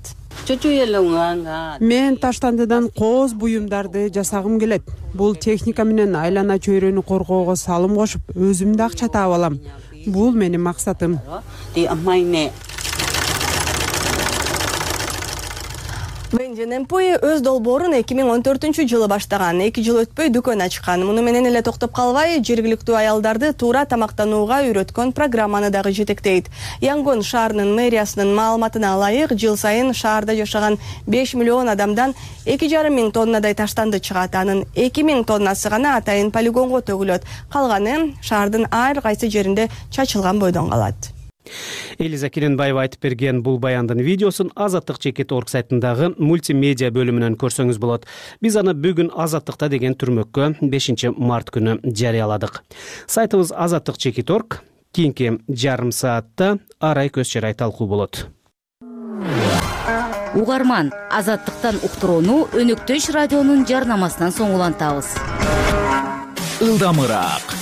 Мен таштандыдан кооз буюмдарды жасагым келет. Бул техника менен айлана чөйрөнү коргоого салым кошуп, өзүм да акча таап алам. Бул менин максатым. Венди Немпуй өз долбоорун эки миң он төртүнчү жылы баштаган. эки жыл өтпөй дүкөн ачкан. Муну менен эле токтоп калбай, жергиликтүү аялдарды туура тамактанууга үйрөткөн программаны дагы жетектейт. Янгон шаарынын мэриясынын маалыматына ылайык, жыл сайын шаарда жашаган беш миллион адамдан эки жарым миң тоннадай таштанды чыгат. Анын эки миң тоннасы гана атайын полигонго төгүлөт. Калганы шаардын ар кайсы жеринде чачылган бойдон калат. Элиза Кененбаева айтып берген бул баяндын видеосун Азаттык чекит точка орг сайтындагы мультимедиа бөлүмүнөн көрсөңүз болот. Биз аны бүгүн Азаттыкта деген түрмөккө бешинчи март күнү жарыяладык. Сайтыбыз азаттык чекит точка орг. Кийинки жарым саатта арай көз чарай талкуу болот. Угарман, Азаттыктан уктурууну Өнөктөш радионун жарнамасынан соң улантабыз. Ылдамыраак,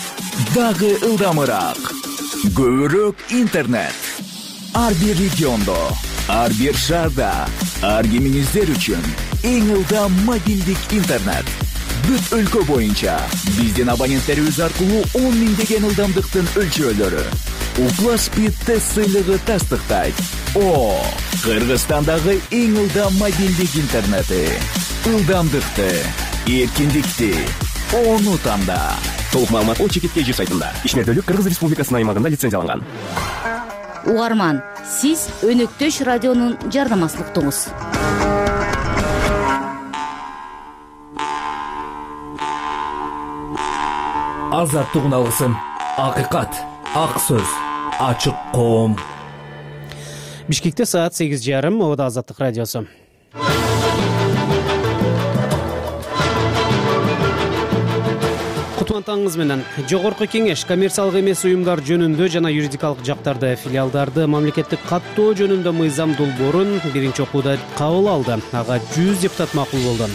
дагы ылдамыраак. Көбүрөөк интернет. Ар бир региондо, ар бир шаарда, ар кимиңиздер үчүн эң ылдам мобилдик интернет. Бүт өлкө боюнча биздин абоненттерибиз аркылуу он миңдеген ылдамдыктын өлчөөлөрү. Укла Speed тест сыйлыгы тастыктайт. О, Кыргызстандагы эң ылдам мобилдик интернети. Ылдамдыкты, эркиндикти ону танда. Толук маалымат о чекит кей жи сайтында. Ишмердүүлүк Кыргыз Республикасынын аймагында лицензияланган. Угарман, сиз Өнөктөш радионун жарнамасына уктуңуз. Азаттык алгысын, акыйкат, ак сөз, ачык коом. Бишкекте саат сегиз жарым, Ода Азаттык радиосу. Кутмантаңыз менен. Жогорку кеңеш коммерциялык эмес уюмдар жөнүндө жана юридикалык жактарды, филиалдарды мамлекеттик каттоо жөнүндө мыйзам долбоорун биринчи окууда кабыл алды. Ага жүз депутат макул болду.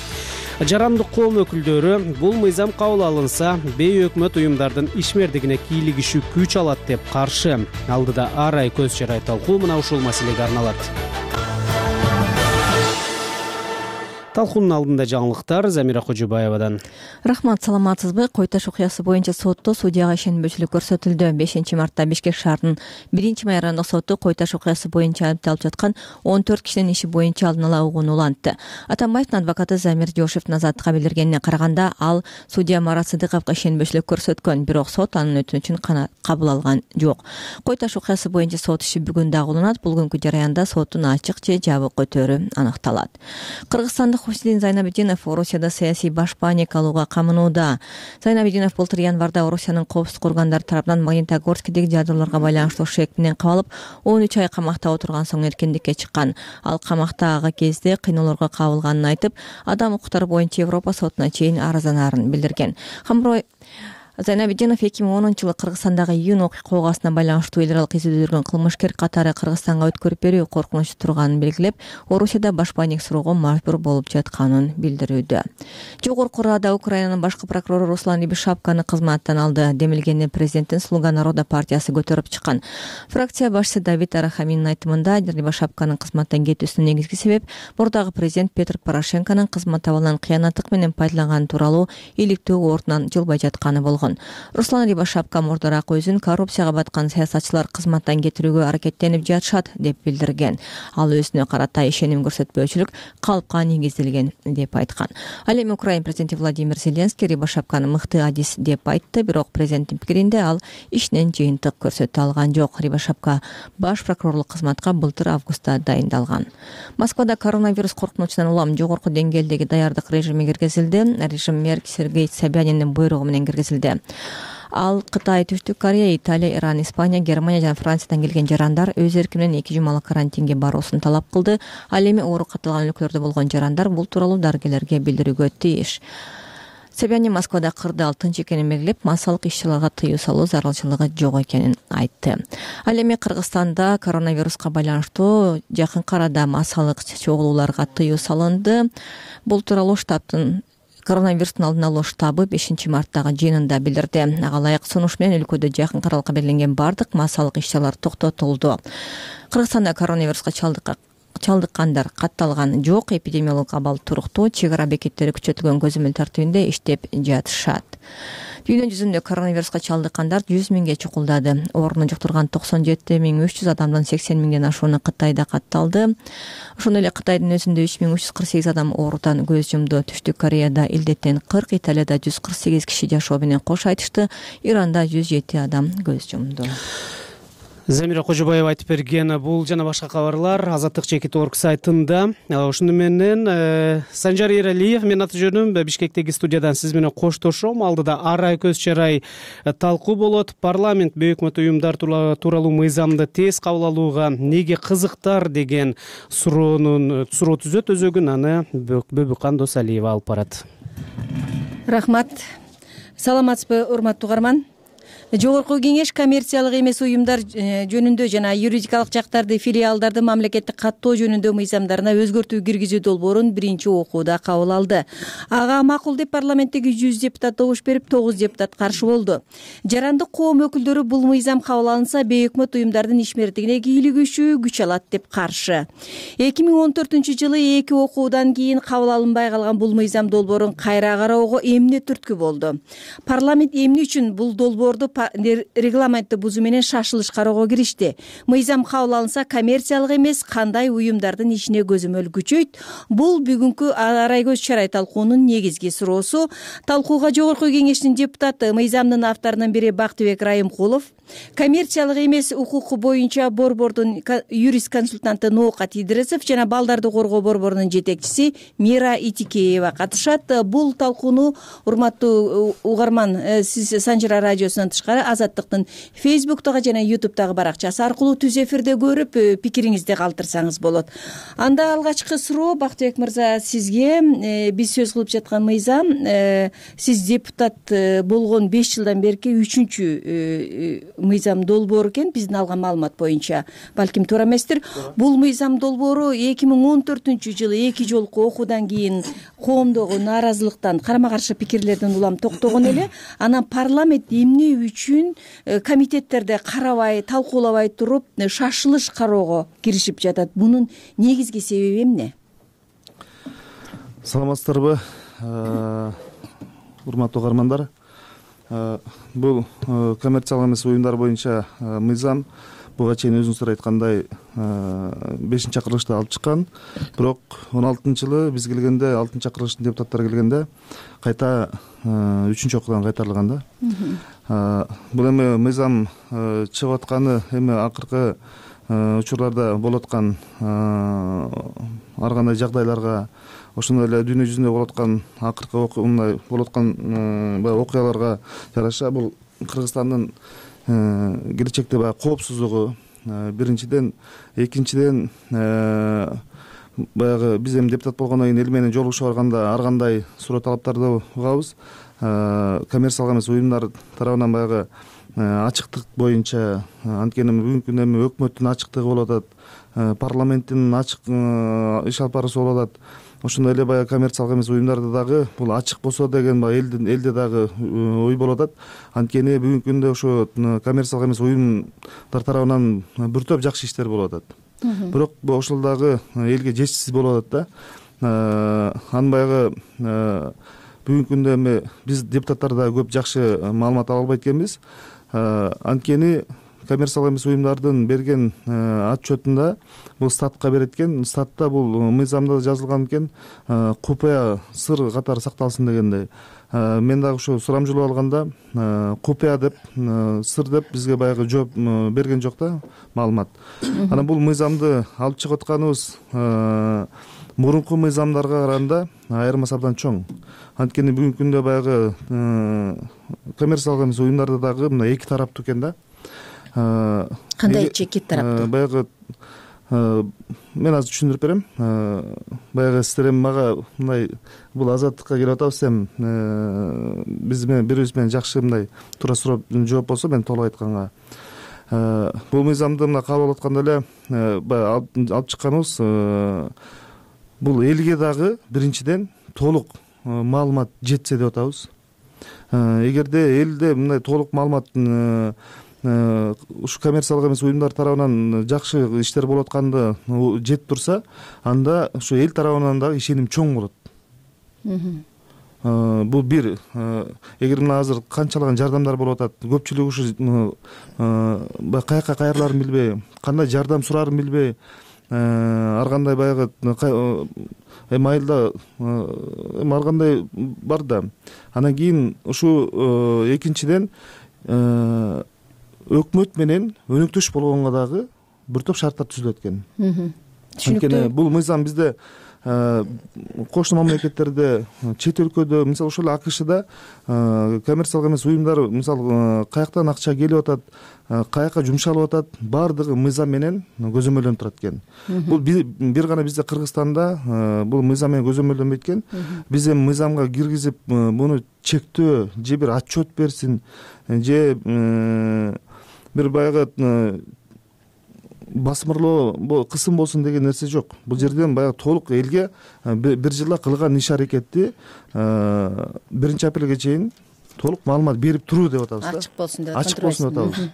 Жарандык коом өкүлдөрү бул мыйзам кабыл алынса, бейөкмөт уюмдардын ишмердигине кийлигишүү күч алат деп каршы. Алдыда ар ай көз чарай талкуу мына ушул маселеге арналат. Талкуунун алдында жаңылыктар Замира Кожобаевадан. Рахмат, саламатсызбы? Кой Таш окуясы боюнча сотто судьяга ишенбөөчүлүк көрсөтүлдү. бешинчи мартта Бишкек шаарынын биринчи майрандык соту Кой Таш окуясы боюнча айыпталып жаткан он төрт кишинин иши боюнча алдын ала угууну улантты. Атамбаевдин адвокаты Замир Жошевдин азаттыкка билдиргенине караганда, ал судья Марат Сыдыковго ишенбөөчүлүк көрсөткөн, бирок сот анын өтүнүчүн кабыл алган жок. Кой Таш окуясы боюнча сот иши бүгүн дагы уланат. Бул күнкү жараянда соттун ачык же жабык өтөрү аныкталат. Кыргызстандык Хуснидин Зайнабидинов Орусияда саясий баш паник алууга камынууда. Зайнабидинов былтыр январда Орусиянын коопсуздук органдары тарабынан Магнитогорскидеги жадырларга байланыштуу шек менен кабылып, он үч ай камакта отурган соң эркиндикке чыккан. Ал камактагы кезде кыйноолорго кабылганын айтып, адам укуктары боюнча Европа сотуна чейин арызданарын билдирген. Хамрой Зайнабидинов эки миң онунчу жылы Кыргызстандагы июнь окуя оогасына байланыштуу эл аралык изилдөөлөргөн кылмышкер катары Кыргызстанга өткөрүп берүү коркунучу турганын белгилеп, Орусияда баш паник суроого мажбур болуп жатканын билдирүүдө. Жогорку Рада Украинанын башкы прокурору Руслан Рябошапканы кызматтан алды. Демилгени президенттин Слуга народа партиясы көтөрүп чыккан. Фракция башчысы Давид Арахаминин айтымында, Рябошапканын кызматтан кетүүсүнүн негизги себеп мурдагы президент Петр Порошенконун кызмат абалынан кыянаттык менен пайдаланганы тууралуу иликтөө ордунан жылбай жатканы болгон. Руслан Рябошапка мурдараак өзүн коррупцияга баткан саясатчылар кызматтан кетирүүгө аракеттенип жатышат деп билдирген. Ал өзүнө карата ишеним көрсөтпөөчүлүк калпка негизделген деп айткан. Ал эми Украина президенти Владимир Зеленский Рябошапканы мыкты адис деп айтты, бирок президенттин пикиринде ал ишинен жыйынтык көрсөтө алган жок. Рябошапка баш прокурорлук кызматка былтыр августта дайындалган. Москвада коронавирус коркунучунан улам жогорку деңгээлдеги даярдык режими киргизилди. Режим мэр Сергей Собяниндин буйругу менен киргизилди. Ал Кытай, Түштүк Корея, Италия, Иран, Испания, Германия жана Франциядан келген жарандар өз эрки менен эки жумалык карантинге баруусун талап кылды. Ал эми оору катталган өлкөлөрдө болгон жарандар бул тууралуу дарыгерлерге билдирүүгө тийиш. Собянин Москвада кырды ал тынч экенин белгилеп, массалык иш-чараларга тыюу салуу зарылчылыгы жок экенин айтты. Ал эми Кыргызстанда коронавируска байланыштуу жакынкы арада массалык чогулууларга тыюу салынды. Бул тууралуу штабтын коронавирустун алдын алуу штабы бешинчи марттагы жыйынында билдирди. Ага ылайык сунуш менен өлкөдө жакын аралыкка белгиленген бардык массалык иш-чаралар токтотулду. Кыргызстанда коронавируска чалдыкка чалдыккандар катталган жок. Эпидемиологдук абал туруктуу, чек ара бекеттери күчөтүлгөн көзөмөл тартибинде иштеп жатышат. Дүйнө жүзүндө коронавируска чалдыккандар жүз миңге чукулдады. Оорууну жуктурган токсон жети миң үч жүз адамдын сексен миңден ашууну Кытайда катталды. Ошондой эле Кытайдын өзүндө үч миң үч жүз кырк сегиз адам оорудан көз жумду. Түштүк Кореяда илдеттен кырк, Италияда жүз кырк сегиз киши жашоо менен кош айтышты. Иранда жүз жети адам көз жумду. Замира Кожобаева айтып берген бул жана башка кабарлар Азаттык чекит орг сайтында. Ошону менен Санжар Эралиев, мен аты жөнүм, Бишкектеги студиядан сиз менен коштошом. Алдыда ар ай көз чарай талкуу болот. Парламент бейөкмөт уюмдар тууралуу мыйзамды тез кабыл алууга неге кызыктар деген суроонун суроо түзөт өзөгүн. Аны Бөбүкан Досалиева алып барат. Рахмат. Саламатсызбы, урматтуу угарман? Жогорку кеңеш коммерциялык эмес уюмдар жөнүндө жана юридикалык жактарды, филиалдарды мамлекеттик каттоо жөнүндө мыйзамдарына өзгөртүү киргизүү долбоорун биринчи окууда кабыл алды. Ага макул деп парламенттеги жүз депутат добуш берип, тогуз депутат каршы болду. Жарандык коом өкүлдөрү бул мыйзам кабыл алынса, бейөкмөт уюмдардын ишмердигине кийлигишүү күч алат деп каршы. эки миң он төртүнчү жылы эки окуудан кийин кабыл алынбай калган бул мыйзам долбоорун кайра кароого эмне түрткү болду? Парламент эмне үчүн бул долбоорду регламентти бузуу менен шашылыш кароого киришти. Мыйзам кабыл алынса, коммерциялык эмес кандай уюмдардын ишине көзөмөл күчөйт? Бул бүгүнкү арай көз чарай талкуунун негизги суроосу. Талкууга Жогорку Кеңештин депутаты, мыйзамдын авторунун бири Бактыбек Райымкулов, коммерциялык эмес укуку боюнча борбордун юрист консультанты Ноокат Идрисов жана балдарды коргоо борборунун жетекчиси Мира Итикеева катышат. Бул талкууну урматтуу угарман, сиз Санжара радиосунан тышкары Азаттыктын Фейсбуктагы жана Ютубтагы баракчасы аркылуу түз эфирде көрүп, пикириңизди калтырсаңыз болот. Анда алгачкы суроо Бактыбек мырза сизге. Биз сөз кылып жаткан мыйзам, сиз депутат болгон беш жылдан берки үчүнчү мыйзам долбоор экен, биздин алган маалымат боюнча. Балким туура эместир. Бул мыйзам долбоору эки миң он төртүнчү жылы эки жолку окуудан кийин коомдогу нааразылыктан, карама каршы пикирлерден улам токтогон эле. Анан парламент эмне үчүн комитеттерде карабай, талкуулабай туруп шашылыш кароого киришип жатат? Бунун негизги себеби эмне? Саламатсыздарбы, урматтуу угармандар. Бул коммерциялык эмес уюмдар боюнча мыйзам буга чейин өзүңүздөр айткандай бешинчи чакырылышта алып чыккан. Бирок он алтынчы жылы биз келгенде, алтынчы чакырылыштын депутаттары келгенде кайта үчүнчү окуудан кайтарылган да. Бул эми мыйзам чыгып атканы эми акыркы учурларда болуп аткан ар кандай жагдайларга, ошондой эле дүйнө жүзүндө болуп аткан акыркы мындай болуп аткан баягы окуяларга жараша бул Кыргызстандын келечекте баягы коопсуздугу биринчиден, экинчиден баягы биз эми депутат болгондон кийин эл менен жолугуша барганда ар кандай суроо талаптарды угабыз. Коммерциялык эмес уюмдар тарабынан баягы ачыктык боюнча, анткени бүгүнкү күндө эми өкмөттүн ачыктыгы болуп атат, парламенттин ачык иш алып баруусу болуп атат. Ошондой эле баягы коммерциялык эмес уюмдарда дагы бул ачык болсо деген элдин элде дагы ой болуп атат. Анткени бүгүнкү күндө ошо коммерциялык эмес уюмдар тарабынан бир топ жакшы иштер болуп атат. Бирок ошол дагы элге жетишсиз болуп атат да. Анын баягы бүгүнкү күндө эми биз депутаттар да көп жакшы маалымат ала албайт экенбиз. Анткени коммерциялык эмес уюмдардын берген отчетунда бул статка берет экен. Статта бул мыйзамда жазылган экен, купуя сыр катары сакталсын дегендей. Мен дагы ушу сурамжылап алганда купуя деп, сыр деп бизге баягы жооп берген жок да маалымат. Анан бул мыйзамды алып чыгып атканыбыз мурунку мыйзамдарга караганда айырмасы абдан чоң. Анткени бүгүнкү күндө баягы коммерциялык эмес уюмдарда дагы мына эки тараптуу экен да. Кандайчы эки тараптуу? Баягы мен азыр түшүндүрүп берем. Баягы сиздер эми мага мындай бул Азаттыкка келип атабыз эми биз менен бирибиз менен жакшы мындай туура суроо жооп болсо мен толук айтканга. Бул мыйзамды мына кабыл алып атканда эле баягы алып чыкканыбыз бул элге дагы биринчиден толук маалымат жетсе деп атабыз. Эгерде элде мындай толук маалымат ушу коммерциялык эмес уюмдар тарабынан жакшы иштер болуп атканды жетип турса, анда ушу эл тарабынан дагы ишеним чоң болот. Бул бир. Эгер мына азыр канчалаган жардамдар болуп атат, көпчүлүк ушу каяка кайрыларын билбей, кандай жардам сурарын билбей, ар кандай баягы эми айылда эми ар кандай бар да. Анан кийин ушу экинчиден өкмөт менен өнөктөш болгонго дагы бир топ шарттар түзүлөт экен. Анткени бул мыйзам бизде кошуна мамлекеттерде, чет өлкөдө, мисалы ошол эле АКШда коммерциялык эмес уюмдар мисалы каяктан акча келип атат, каяка жумшалып атат, баардыгы мыйзам менен көзөмөлдөнүп турат экен. Бул бир гана бизде Кыргызстанда бул мыйзам менен көзөмөлдөнбөйт экен. Биз эми мыйзамга киргизип муну чектөө же бир отчет берсин, же бир баягы басмырлоо кысым болсун деген нерсе жок. Бул жерден баягы толук элге бир жылда кылган иш аракетти биринчи апрелге чейин толук маалымат берип туруу деп атабыз да. Ачык болсун деп ачык болсун деп атабыз.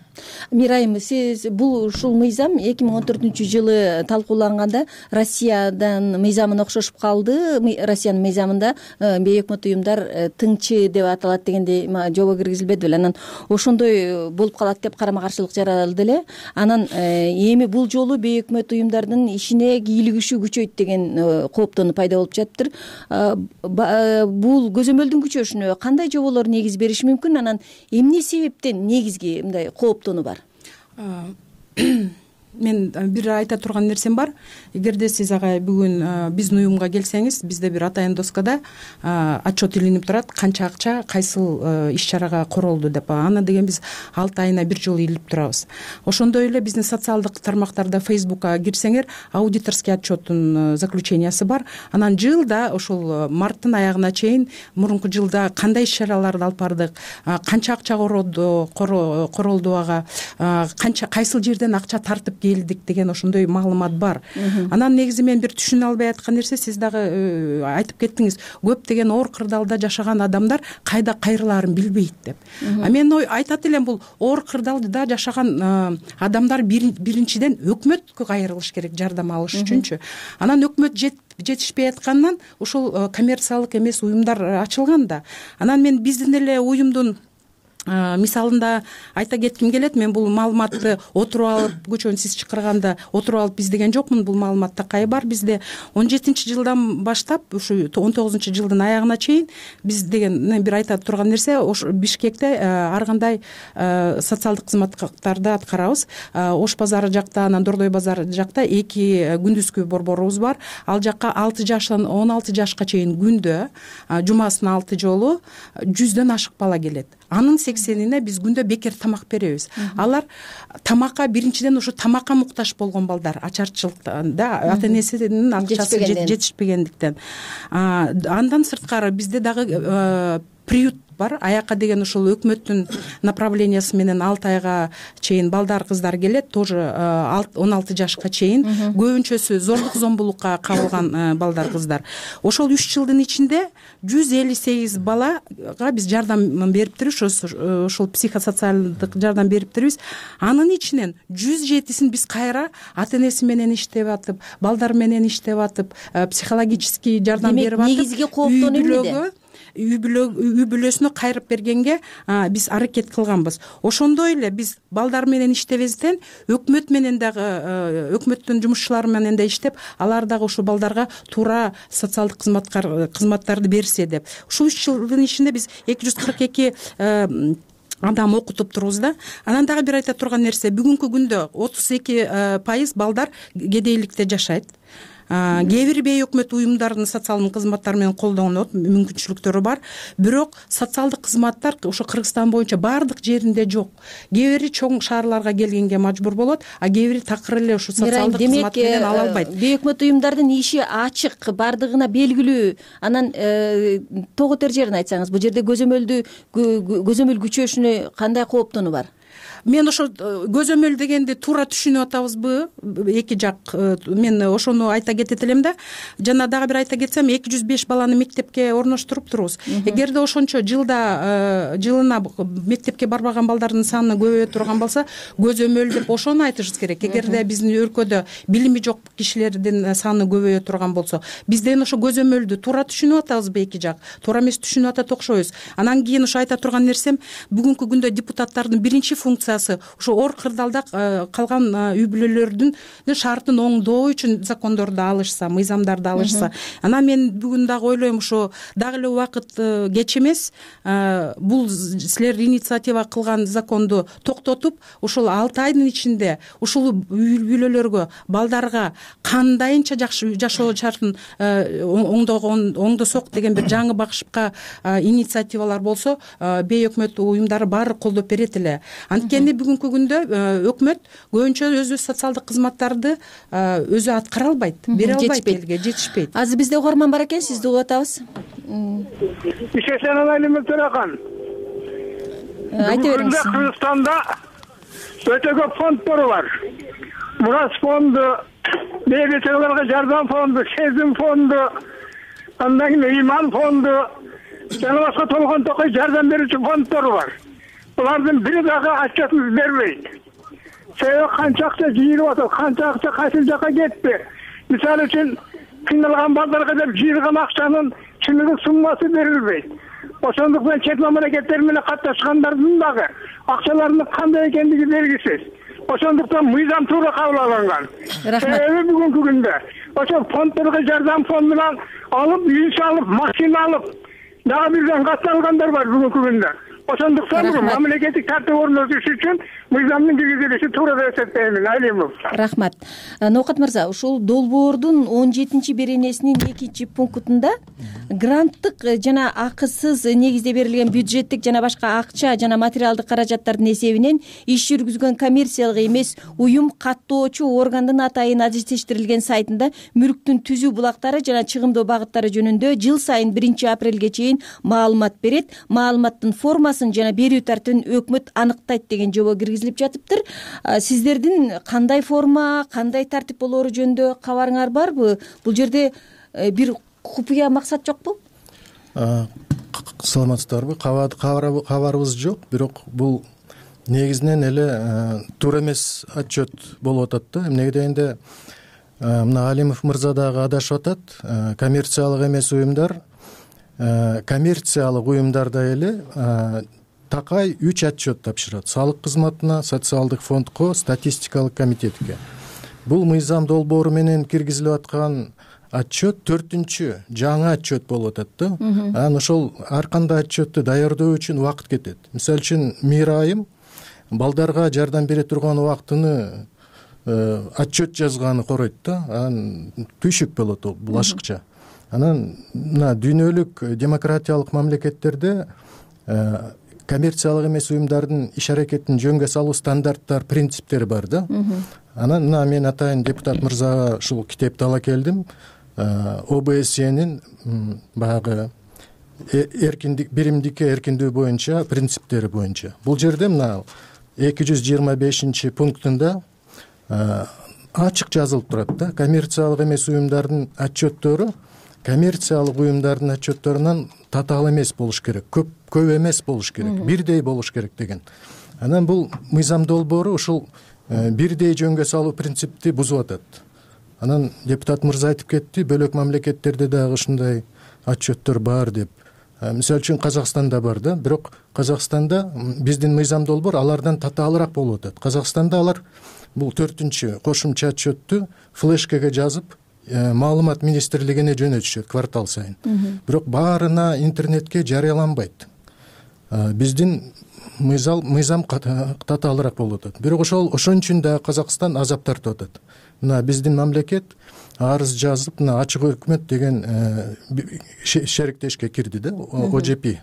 Мирайым, сиз бул ушул мыйзам эки миң он төртүнчү жылы талкууланганда Россиядан мыйзамына окшошуп калды. Россиянын мыйзамында бейөкмөт уюмдар тыңчы деп аталат дегендей жобо киргизилбеди беле. Анан ошондой болуп калат деп карама каршылык жаралды эле. Анан эми бул жолу бейөкмөт уюмдардын ишине кийлигишүү күчөйт деген кооптонуу пайда болуп жатыптыр. Бул көзөмөлдүн күчөшүнө кандай жоболор негиз бериши мүмкүн? Анан эмне себептен негизги мындай кооптонуу бар? Мен бир айта турган нерсем бар. Эгерде сиз агай бүгүн биздин уюмга келсеңиз, бизде бир атайын доскада отчет илинип турат, канча акча кайсыл иш чарага королду деп. Аны деген биз алты айына бир жолу илип турабыз. Ошондой эле биздин социалдык тармактарда Facebookка кирсеңер, аудиторский отчеттун заключениясы бар. Анан жылда ошол марттын аягына чейин мурунку жылда кандай иш чараларды алып бардык, канча акча королду, королду ага, канча кайсыл жерден акча тартып келдик деген ошондой маалымат бар. Анан негизи мен бир түшүнө албай аткан нерсе, сиз дагы айтып кеттиңиз, көптөгөн оор кырдаалда жашаган адамдар кайда кайрылаарын билбейт деп. А мен айтат элем, бул оор кырдаалда жашаган адамдар биринчиден өкмөткө кайрылыш керек жардам алыш үчүнчү. Анан өкмөт жетишпей аткандан ушул коммерциялык эмес уюмдар ачылган да. Анан мен биздин эле уюмдун мисалында айта кетким келет. Мен бул маалыматты отуруп алып, көчөнү сиз чакырганда отуруп алып издеген жокмун. Бул маалымат такай бар бизде. он жетинчи жылдан баштап ушу он тогузунчу жылдын аягына чейин биз деген бир айта турган нерсе, ошо Бишкекте ар кандай социалдык кызматтарды аткарабыз. Ош базары жакта, анан Дордой базары жакта эки күндүзгү борборубуз бар. Ал жакка алты жаштан он алты жашка чейин күндө, жумасына алты жолу жүздөн ашык бала келет. Анын сексенине биз күндө бекер тамак беребиз. Алар тамакка биринчиден ушу тамакка муктаж болгон балдар, ачарчылыктан да, ата энесинин акчасы жетишпегендиктен. Андан сырткары бизде дагы приют бар. Аякка деген ушул өкмөттүн направлениясы менен алты айга чейин балдар, кыздар келет, тоже он алты жашка чейин. Көбүнчөсү зордук зомбулукка кабылган балдар, кыздар. Ошол үч жылдын ичинде жүз элүү сегиз балага биз жардам бериптирбиз, ошол психосоциалдык жардам бериптирбиз. Анын ичинен жүз жетисин биз кайра ата энеси менен иштеп атып, балдар менен иштеп атып, психологический жардам берип атып, негизги кооптонуу эмнеде? үй бүлөсүнө кайрып бергенге биз аракет кылганбыз. Ошондой эле биз балдар менен иштебезден өкмөт менен дагы, өкмөттүн жумушчулары менен да иштеп, алар дагы ушул балдарга туура социалдык кызматтарды берсе деп. Ушул үч жылдын ичинде биз эки жүз кырк эки адам окутуп турбуз да. Анан дагы бир айта турган нерсе, бүгүнкү күндө отуз эки пайыз балдар кедейликте жашайт. Кээ бир бейөкмөт уюмдардын социалдык кызматтары менен колдонот, мүмкүнчүлүктөрү бар. Бирок социалдык кызматтар ошо Кыргызстан боюнча бардык жеринде жок. Кээ бири чоң шаарларга келгенге мажбур болот, а кээ бири такыр эле ошо социалдык кызмат менен ала албайт. Бейөкмөт уюмдардын иши ачык, бардыгына белгилүү. Анан тоготер жерин айтсаңыз, бул жерде көзөмөлдү көзөмөл күчөшүнө кандай кооптонуу бар? Мен ошо көзөмөл дегенди туура түшүнүп атабызбы? Эки жак. Мен ошону айта кетет элем да. Жана дагы бир айта кетсем, эки жүз беш баланы мектепке орноштуруп турбуз. Эгерде ошончо жылда жылына мектепке барбаган балдардын саны көбөйө турган болсо, көзөмөл деп ошону айтышыбыз керек. Эгерде биздин өлкөдө билими жок кишилердин саны көбөйө турган болсо, бизден ошо көзөмөлдү туура түшүнүп атабызбы? Эки жак туура эмес түшүнүп атат окшойбуз. Анан кийин ошо айта турган нерсем, бүгүнкү күндө депутаттардын биринчи функциясы ошо оор кырдаалда калган үй бүлөлөрдүн шартын оңдоо үчүн закондорду алышса, мыйзамдарды алышса. Анан мен бүгүн дагы ойлойм, ошо дагы эле убакыт кеч эмес, бул силер инициатива кылган законду токтотуп, ошол алты айдын ичинде ушул үй бүлөлөргө, балдарга кандайынча жакшы жашоо шартын оңдогон, оңдосок деген бир жаңы багышка инициативалар болсо, бейөкмөт уюмдары баары колдоп берет эле. Анткени бүгүнкү күндө өкмөт көбүнчө өзү социалдык кызматтарды өзү аткара албайт, бере албайт, элге жетишпейт. Азыр бизде угарман бар экен, сизди угуп атабыз. Ишешен Алайлым Төрахан. Айта бериңиз. Кыргызстанда өтө көп фонддор бар. Мурас фонду, бейбитчилерге жардам фонду, Сезим фонду, андан кийин Ыйман фонду, жана башка толгон токой жардам берүүчү фонддор бар. Булардын бири дагы отчетун бербейт. Себеби канча акча жыйылып атат, канча акча кайсы жака кетти. Мисалы үчүн кыйналган балдарга деп жыйылган акчанын чындыгы суммасы берилбейт. Ошондуктан чет мамлекеттер менен катташкандардын дагы акчаларынын кандай экендиги белгисиз. Ошондуктан мыйзам туура кабыл алынган. Себеби бүгүнкү күндө ошол фонддорго жардам фондунан алып, үй салып, машина алып, дагы бирден катталгандар бар бүгүнкү күндө. Ошондуктан мамлекеттик тартип орнотуш үчүн мыйзамдын киргизилиши туура деп эсептеймин. Алимов. Рахмат. Ноокат мырза, ушул долбоордун он жетинчи беренесинин экинчи пунктунда гранттык жана акысыз негизде берилген бюджеттик жана башка акча жана материалдык каражаттардын эсебинен иш жүргүзгөн коммерциялык эмес уюм каттоочу органдын атайын адистештирилген сайтында мүлктүн түзүү булактары жана чыгымдоо багыттары жөнүндө жыл сайын биринчи апрелге чейин маалымат берет. Маалыматтын формасын жана берүү тартибин өкмөт аныктайт деген жобо киргизилип жатыптыр. Сиздердин кандай форма, кандай тартип болоору жөнүндө кабарыңар барбы? Бул жерде бир купуя максат жокпу? Саламатсыздарбы? Кабарыбыз жок, бирок бул негизинен эле туура эмес отчет болуп атат да. Эмнеге дегенде мына Алимов мырза дагы адашып атат. Коммерциялык эмес уюмдар коммерциялык уюмдарда эле такай үч отчет тапшырат: салык кызматына, социалдык фондко, статистикалык комитетке. Бул мыйзам долбоору менен киргизилип аткан отчет төртүнчү жаңы отчет болуп атат да. Анан ошол ар кандай отчетту даярдоо үчүн убакыт кетет. Мисалы үчүн мейир айым балдарга жардам бере турган убактыны отчет жазганы коройт да. Анан түйшүк болот бул ашыкча. Анан мына дүйнөлүк демократиялык мамлекеттерде коммерциялык эмес уюмдардын иш аракетин жөнгө салуу стандарттар, принциптери бар да. Анан мына мен атайын депутат мырзага ушул китепти ала келдим. о бэ эс энин баягы эркиндик, биримдикке эркиндүү боюнча принциптери боюнча. Бул жерде мына эки жүз жыйырма бешинчи пунктунда ачык жазылып турат да. Коммерциялык эмес уюмдардын отчеттору коммерциялык уюмдардын отчетторунан татаал эмес болуш керек, көп көп эмес болуш керек, бирдей болуш керек деген. Анан бул мыйзам долбоору ушул бирдей жөнгө салуу принципти бузуп атат. Анан депутат мырза айтып кетти, бөлөк мамлекеттерде дагы ушундай отчеттор бар деп. Мисалы үчүн Казакстанда бар да, бирок Казакстанда биздин мыйзам долбоор алардан татаалыраак болуп атат. Казакстанда алар бул төртүнчү кошумча отчетту флешкеге жазып маалымат министрлигине жөнөтүшөт квартал сайын. Бирок баарына интернетке жарыяланбайт. Биздин мыйзам мыйзам татаалыраак болуп атат. Бирок ошол ошон үчүн да Казакстан азап тартып атат. Мына биздин мамлекет арыз жазып, мына ачык өкмөт деген шериктешке кирди да, о жэ пи,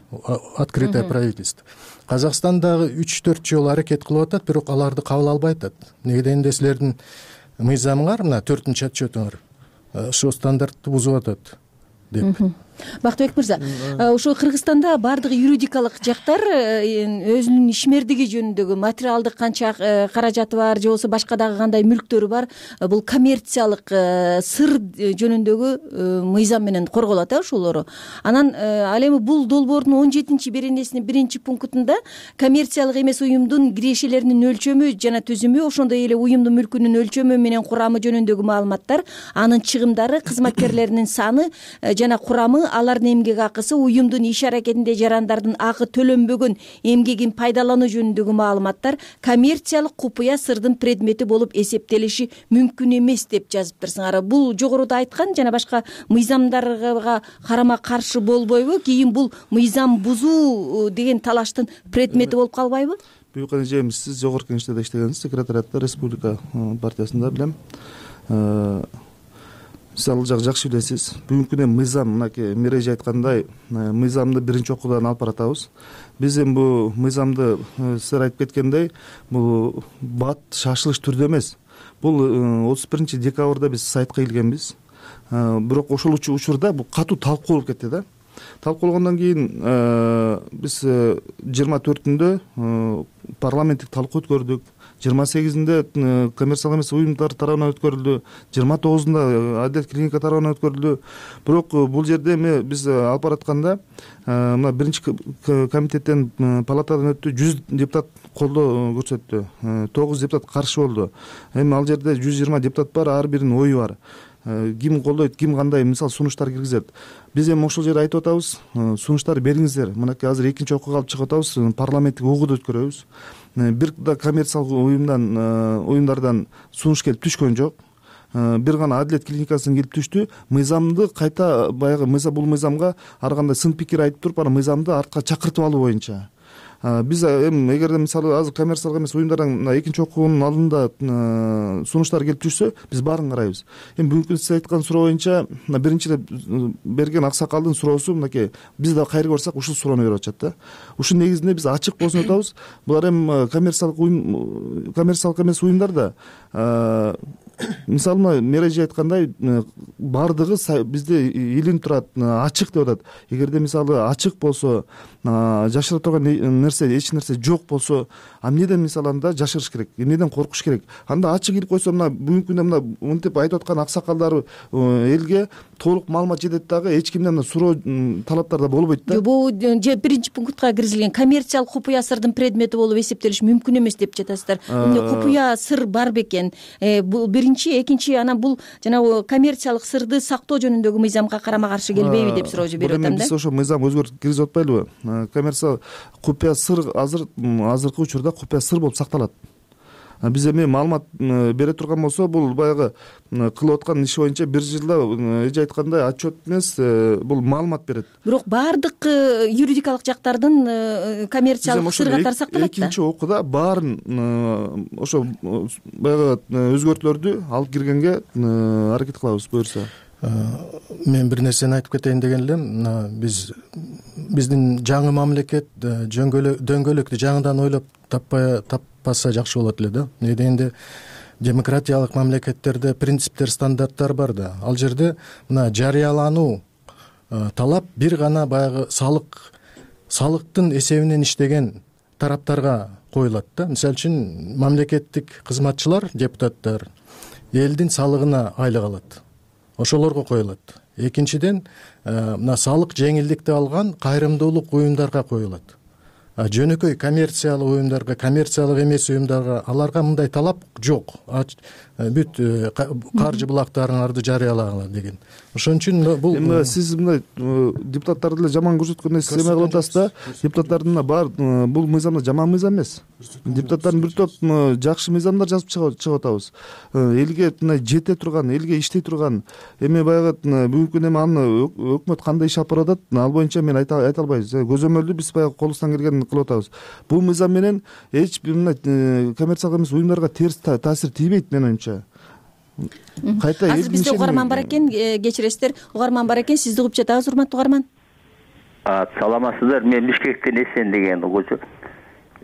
открытое правительство. Казакстан дагы үч төрт жолу аракет кылып атат, бирок аларды кабыл албай атат. Неге дегенде силердин мыйзамыңар, мына төртүнчү отчетуңар ошол стандартты бузуп атат деп. Бактыбек мырза, ошо Кыргызстанда баардык юридикалык жактар өзүнүн ишмердиги жөнүндөгү материалдык канча каражаты бар, же болбосо башка дагы кандай мүлктөрү бар, бул коммерциялык сыр жөнүндөгү мыйзам менен корголот э ошолору. Анан ал эми бул долбоордун он жетинчи беренесинин биринчи пунктунда коммерциялык эмес уюмдун кирешелеринин өлчөмү жана түзүмү, ошондой эле уюмдун мүлкүнүн өлчөмү менен курамы жөнүндөгү маалыматтар, анын чыгымдары, кызматкерлеринин саны жана курамы, алардын эмгек акысы, уюмдун иш аракетинде жарандардын акы төлөнбөгөн эмгегин пайдалануу жөнүндөгү маалыматтар коммерциялык купуя сырдын предмети болуп эсептелиши мүмкүн эмес деп жазыптырсыңар. Бул жогоруда айткан жана башка мыйзамдарга карама каршы болбойбу? Кийин бул мыйзам бузуу деген талаштын предмети болуп калбайбы? Büyük Эжемиз, сиз жогорку кеңеште иштегенсиз, секретариатта Республика партиясында билем. Сиз ал жак жакшы билесиз. Бүгүнкү күндө мыйзам, мынакей Миреже айткандай, мыйзамды биринчи окуудан алып баратабыз. Биз эми бул мыйзамды сиздер айтып кеткендей, бул бат шашылыш түрдө эмес. Бул отуз биринчи декабрда биз сайтка келгенбиз. Бирок ошол учурда бул катуу талкуу болуп кетти да. Талкуулогондон кийин биз жыйырма төртүндө парламенттик талкуу өткөрдүк. жыйырма сегизинде коммерциялык эмес уюмдар тарабынан өткөрүлдү, жыйырма тогузунда адилет клиника тарабынан өткөрүлдү. Бирок бул жерде эми биз алып баратканда мына биринчи комитеттен палатадан өттү, жүз депутат колдоо көрсөттү, тогуз депутат каршы болду. Эми ал жерде жүз жыйырма депутат бар, ар биринин ою бар. Ким колдойт, ким кандай мисалы сунуштар киргизет. Биз эми ошол жерде айтып атабыз, сунуштар бериңиздер. Мынакей азыр экинчи окууга алып чыгып атабыз, парламенттик угууду өткөрөбүз. Бир да коммерциялык уюмдан уюмдардан сунуш келип түшкөн жок. Бир гана адилет клиникасынан келип түштү. Мыйзамды кайта баягы мыйзам бул мыйзамга ар кандай сын пикир айтып туруп, аны мыйзамды артка чакыртып алуу боюнча. Биз эми эгерде мисалы азыр коммерциялык эмес уюмдардан экинчи окуунун алдында сунуштар келип түшсө, биз баарын карайбыз. Эми бүгүнкү сиз айткан суроо боюнча, мына биринчи берген аксакалдын суроосу мынакей, биз да кайры барсак ушул суроону берип атышат да. Ушул негизинде биз ачык болсун деп атабыз. Булар эми коммерциялык уюм, коммерциялык эмес уюмдар да мисалы мына Мережи айткандай баардыгы бизде илинип турат, ачык деп атат. Эгерде мисалы ачык болсо, жашыра турган нерсе эч нерсе жок болсо, эмнеден мисалы анда жашырыш керек, эмнеден коркуш керек? Анда ачык илип койсо, мына бүгүнкү күндө мына мынтип айтып аткан аксакалдар элге толук маалымат жетет дагы, эч кимден суроо талаптар да болбойт да. Бул биринчи пунктка киргизилген коммерциялык купуя сырдын предмети болуп эсептелиши мүмкүн эмес деп жатасыздар. Эмне купуя сыр бар бекен? Бул биринчи, экинчи, анан бул жанагы коммерциялык сырды сактоо жөнүндөгү мыйзамга карама каршы келбейби деп суроо берип атам да. Биз ошо мыйзам өзгөртүп киргизип атпайлыбы? Коммерциялык купуя сыр азыр азыркы учурда купуя сыр болуп сакталат. Биз эми маалымат бере турган болсо, бул баягы кылып аткан иши боюнча бир жылда эже айткандай отчет эмес, бул маалымат берет. Бирок баардык юридикалык жактардын коммерциялык сыр катары сакталат да. Экинчи окууда баарын ошо баягы өзгөртүүлөрдү алып киргенге аракет кылабыз буюрса. Мен бир нерсени айтып кетейин деген элем. Биз биздин жаңы мамлекет дөңгөлөктү жаңыдан ойлоп таппай таппаса жакшы болот эле да. Эмне дегенде демократиялык мамлекеттерде принциптер, стандарттар бар да. Ал жерде мына жарыялануу талап бир гана баягы салык салыктын эсебинен иштеген тараптарга коюлат да. Мисалы үчүн мамлекеттик кызматчылар, депутаттар элдин салыгына айлык алат. Ошолорго коюлат. Экинчиден, мына салык жеңилдикти алган кайрымдуулук уюмдарга коюлат. Жөнөкөй коммерциялык уюмдарга, коммерциялык эмес уюмдарга аларга мындай талап жок. Бүт каржы булактарыңарды жарыялагыла деген. Ошон үчүн бул эми сиз мындай депутаттарды эле жаман көрсөткөндөй сиз эме кылып атасыз да. Депутаттардын бар бул мыйзамда жаман мыйзам эмес. Депутаттардын бир топ жакшы мыйзамдар жазып чыгып атабыз. Элге мындай жете турган, элге иштей турган, эми баягы бүгүнкү күндө аны өкмөт кандай иш алып барып атат, ал боюнча мен айта албайбыз. Көзөмөлдү биз баягы колубуздан келгенин кылып атабыз. Бул мыйзам менен эч бир мындай коммерциялык эмес уюмдарга терс таасир тийбейт менин оюмча. Кайта азыр бизде угарман бар экен, кечиресиздер, угарман бар экен, сизди угуп жатабыз, урматтуу угарман. Саламатсыздар, мен Бишкектен Эсен деген угуучу.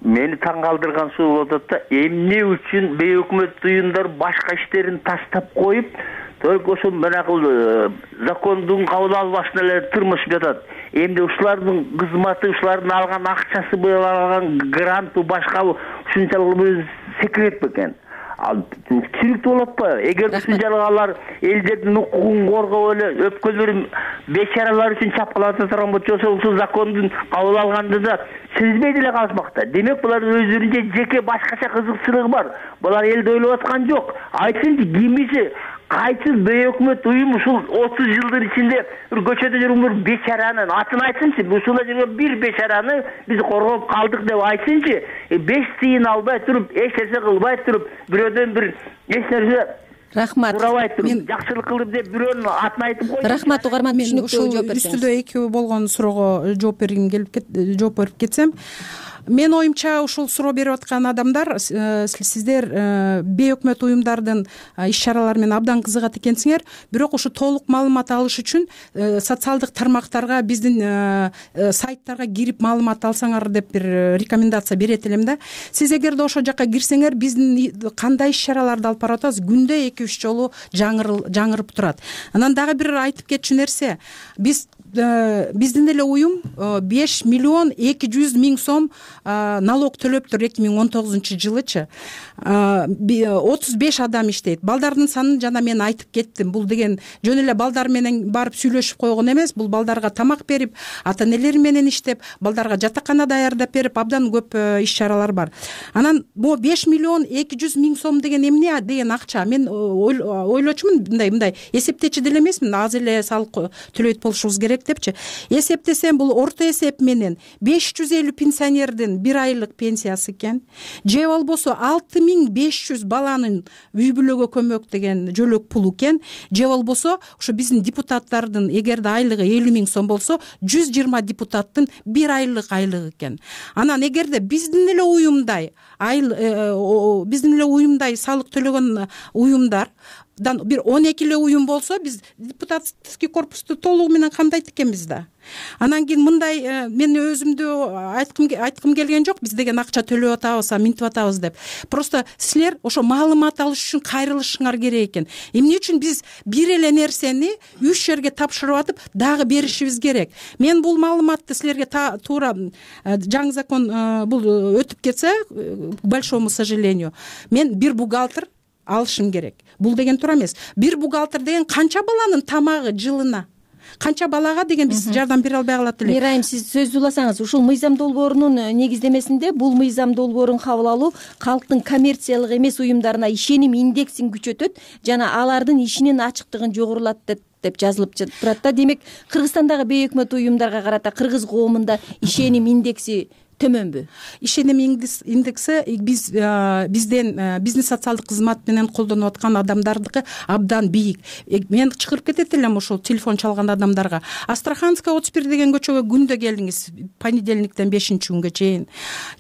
Мени таң калтырган суу болуп атат да, эмне үчүн бейөкмөт уюмдар башка иштерин таштап коюп, только ошо менакыл закондун кабыл албашына эле тырмышып жатат. Эмне ушулардын кызматы, ушулардын алган акчасы, алган гранту башка ушунчалык секрет бекен. Ал түшүнүктүү болот го. Эгер ушунчалык алар элдердин укугун коргоп эле өпкөлөрүн бечаралар үчүн чапкылата турган болчу, ошол закондун кабыл алганда да сезбей деле калышмак да. Демек булар өздөрүнчө жеке башкача кызыкчылыгы бар. Булар элди ойлоп аткан жок. Айтсынчы, кимиси кайсы бейөкмөт уюм ушул отуз жылдын ичинде бир көчөдө жүргөн бир бечаранын атын айтсынчы, ушунда жүргөн бир бечараны биз коргоп калдык деп айтсынчы. беш тыйын албай туруп, эч нерсе кылбай туруп, бирөөдөн бир эч нерсе рахмат сурабай туруп, жакшылык кылып деп бирөөнүн атын айтып койду. Рахмат угарман, түшүнүктүү жооп берсеңиз. Үстүдө экөө болгон суроого жооп бергим келип жооп берип кетсем, менин оюмча ушул суроо берип аткан адамдар, сиздер бейөкмөт уюмдардын иш чаралары менен абдан кызыгат экенсиңер, бирок ушу толук маалымат алыш үчүн социалдык тармактарга, биздин сайттарга кирип маалымат алсаңар деп бир рекомендация берет элем да. Сиз эгерде ошол жакка кирсеңер, биздин кандай иш чараларды алып барып атабыз, күндө эки үч жолу жаңырып турат. Анан дагы бир айтып кетчү нерсе, биз биздин эле уюм беш миллион эки жүз миң сом налог төлөптүр эки миң он тогузунчу жылычы отуз беш адам иштейт. Балдардын санын жана мен айтып кеттим. Бул деген жөн эле балдар менен барып сүйлөшүп койгон эмес. Бул балдарга тамак берип, ата энелери менен иштеп, балдарга жатакана даярдап берип, абдан көп иш чаралар бар. Анан могу беш миллион эки жүз миң сом деген эмне деген акча? Мен ойлочумун, мындай мындай эсептечи деле эмесмин, аз эле салык төлөйт болушубуз керек депчи. Эсептесем бул орто эсеп менен беш жүз элүү пенсионердин бир айлык пенсиясы экен. Же болбосо алты миң беш жүз баланын үй бүлөгө көмөк деген жөлөк пулу экен. Же болбосо ошо биздин депутаттардын эгерде айлыгы элүү миң сом болсо, жүз жыйырма депутаттын бир айлык айлыгы экен. Анан эгерде биздин эле уюмдай биздин эле уюмдай салык төлөгөн уюмдардан бир он эки эле уюм болсо, биз депутатский корпусту толугу менен камдайт экенбиз да. Анан кийин мындай мен өзүмдү айткым айткым келген жок, биз деген акча төлөп атабыз, минтип атабыз деп. Просто силер ошо маалымат алыш үчүн кайрылышыңар керек экен. Эмне үчүн биз бир эле нерсени үч жерге тапшырып атып, дагы беришибиз керек. Мен бул маалыматты силерге туура жаңы закон бул өтүп кетсе, к большому сожалению, мен бир бухгалтер алышым керек. Бул деген туура эмес. Бир бухгалтер деген канча баланын тамагы жылына, канча балага деген биз жардам бере албай калат элек. Мирайым, сиз сөз уласаңыз, ушул мыйзам долбоорунун негиздемесинде бул мыйзам долбоорун кабыл алуу калктын коммерциялык эмес уюмдарына ишеним индексин күчөтөт жана алардын ишинин ачыктыгын жогорулатат деп жазылып турат да. Демек, Кыргызстандагы бейөкмөт уюмдарга карата кыргыз коомунда ишеним индекси төмөнбү? Ишеним индекси биз бизден бизнес социалдык кызмат менен колдонуп аткан адамдардыкы абдан бийик. Мен чыгырып кетет элем ошол телефон чалган адамдарга. Астраханская отуз бир деген көчөгө күндө келиңиз, понедельниктен бешинчи күнгө чейин.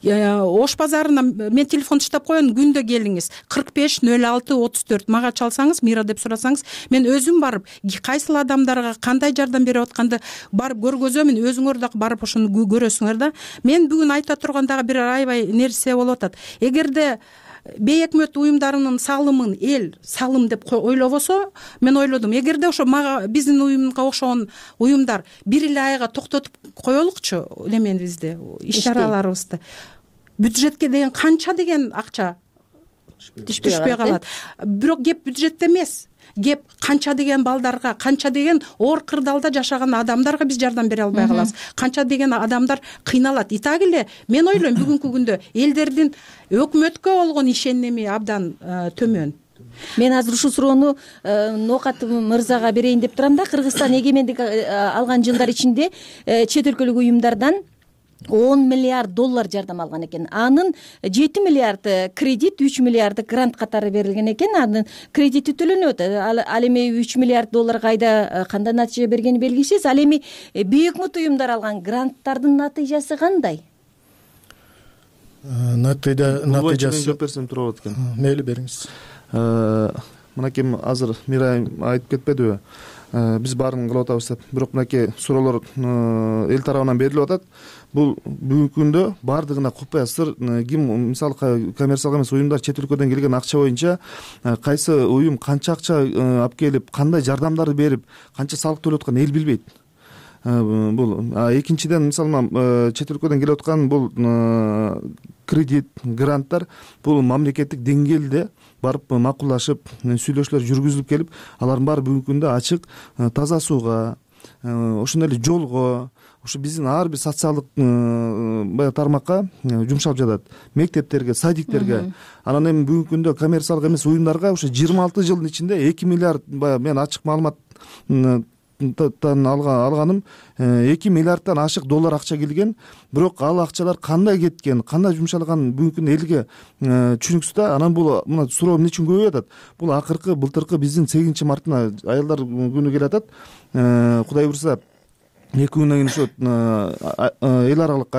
Ош базарына мен телефон таштап коеюн, күндө келиңиз. кырк беш нөл алты отуз төрт мага чалсаңыз, Мира деп сурасаңыз, мен өзүм барып, кайсыл адамдарга кандай жардам берип атканды барып көргөзөмүн. Өзүңөр да барып ошону көрөсүңөр да. Мен бүгүн айта турган дагы бир аябай нерсе болуп атат. Эгерде бейөкмөт уюмдарынын салымын эл салым деп ойлобосо, мен ойлодум, эгерде ошо мага биздин уюмга окшогон уюмдар бир эле айга токтотуп коелукчу немебизди, иш чараларыбызды. Бюджетке деген канча деген акча түшпөй калат. Бирок кеп бюджетте эмес. Кеп канча деген балдарга, канча деген оор кырдаалда жашаган адамдарга биз жардам бере албай калабыз. Канча деген адамдар кыйналат. И так эле мен ойлойм, бүгүнкү күндө элдердин өкмөткө болгон ишеними абдан төмөн. Мен азыр ушул суроону Ноокат мырзага берейин деп турам да. Кыргызстан эгемендик алган жылдар ичинде чет өлкөлүк уюмдардан он миллиард доллар жардам алган экен. Анын жети миллиард кредит, үч миллиарды грант катары берилген экен. Анын кредити төлөнөт. Ал эми үч миллиард доллар кайда кандай натыйжа бергени белгисиз. Ал эми бейөкмөт уюмдар алган гранттардын натыйжасы кандай? Натыйжасы жооп берсем туура болот экен. Мейли бериңиз. Мынакей азыр Мирайым айтып кетпедиби? Биз баарын кылып атабыз деп. Бирок мынакей суроолор эл тарабынан берилип атат. Бул бүгүнкү күндө баардыгына купая сыр. Ким мисалы коммерциялык эмес уюмдар чет өлкөдөн келген акча боюнча кайсы уюм канча акча алып келип, кандай жардамдарды берип, канча салык төлөп атканын эл билбейт. Бул экинчиден, мисалы чет өлкөдөн келип аткан бул кредит, гранттар бул мамлекеттик деңгээлде барып макулдашып, сүйлөшүүлөр жүргүзүлүп келип, алардын баары бүгүнкү күндө ачык, таза сууга, ошондой эле жолго, ошо биздин ар бир социалдык баягы тармакка жумшалып жатат. Мектептерге, садиктерге. Анан эми бүгүнкү күндө коммерциялык эмес уюмдарга ошо жыйырма алты жылдын ичинде эки миллиард, баягы мен ачык маалымат алганым эки миллиардтан ашык доллар акча келген. Бирок ал акчалар кандай кеткен, кандай жумшалган бүгүнкү күндө элге түшүнүксүз да. Анан бул мына суроо эмне үчүн көбөйүп атат? Бул акыркы былтыркы биздин сегизинчи мартына аялдар күнү келе атат. Кудай буйрса эки күндөн кийин ошо эл аралык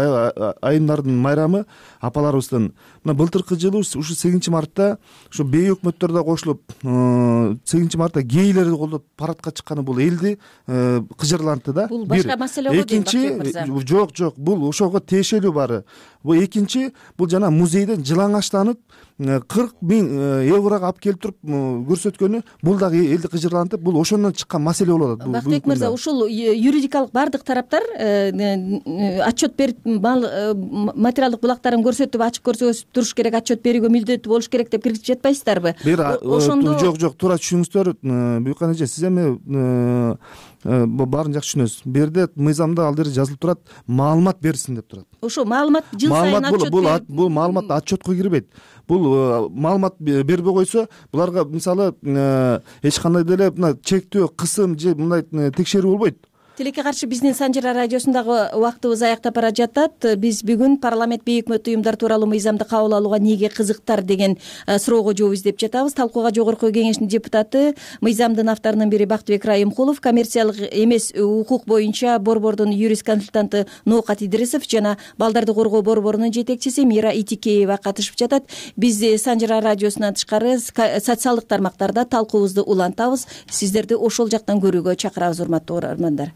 айымдардын майрамы апаларыбыздын. Мына былтыркы жылы ушу сегизинчи мартта ошо бейөкмөттөр да кошулуп, сегизинчи мартта гейлерди колдоп парадка чыкканы бул элди кыжырлантты да. Бул башка маселе го дейм, Бакчыбек мырза. Жок, жок, бул ошого тиешелүү баары. Бул экинчи, бул жана музейден жылаңачтанып, кырк миң еврого алып келип туруп көрсөткөнү бул дагы элди кыжырлантып, бул ошондон чыккан маселе болуп атат. Бактыбек мырза, ушул юридикалык баардык тараптар отчет берип, материалдык булактарын көрсөтүп, ачык көрсөтүп туруш керек, отчет берүүгө мүлдөттүү болуш керек деп киргизип жатпайсыздарбы? Ошондо жок, жок, туура түшүнүңүздөр. Буюкан эже, сиз эми баарын жакшы түшүнөсүз. Бул жерде мыйзамда ал жерде жазылып турат, маалымат берсин деп турат. Ошо маалымат жыл сайын отчет берет. Бул маалымат отчетко кирбейт. Бул маалымат бербей койсо, буларга мисалы эч кандай деле мына чектөө, кысым же мындай текшерүү болбойт. Тилекке каршы биздин Санжара радиосундагы убактыбыз аяктап бара жатат. Биз бүгүн парламент бейик өкмөт уюмдар тууралуу мыйзамды кабыл алууга эмнеге кызыктар деген суроого жооп издеп жатабыз. Талкууга Жогорку Кеңештин депутаты, мыйзамдын авторунун бири Бактыбек Райымкулов, коммерциялык эмес укук боюнча борбордун юрист консультанты Ноокат Идрисов жана балдарды коргоо борборунун жетекчиси Мира Итикеева катышып жатат. Биз Санжара радиосунан тышкары социалдык тармактарда талкуубузду улантабыз. Сиздерди ошол жактан көрүүгө чакырабыз, урматтуу угармандар.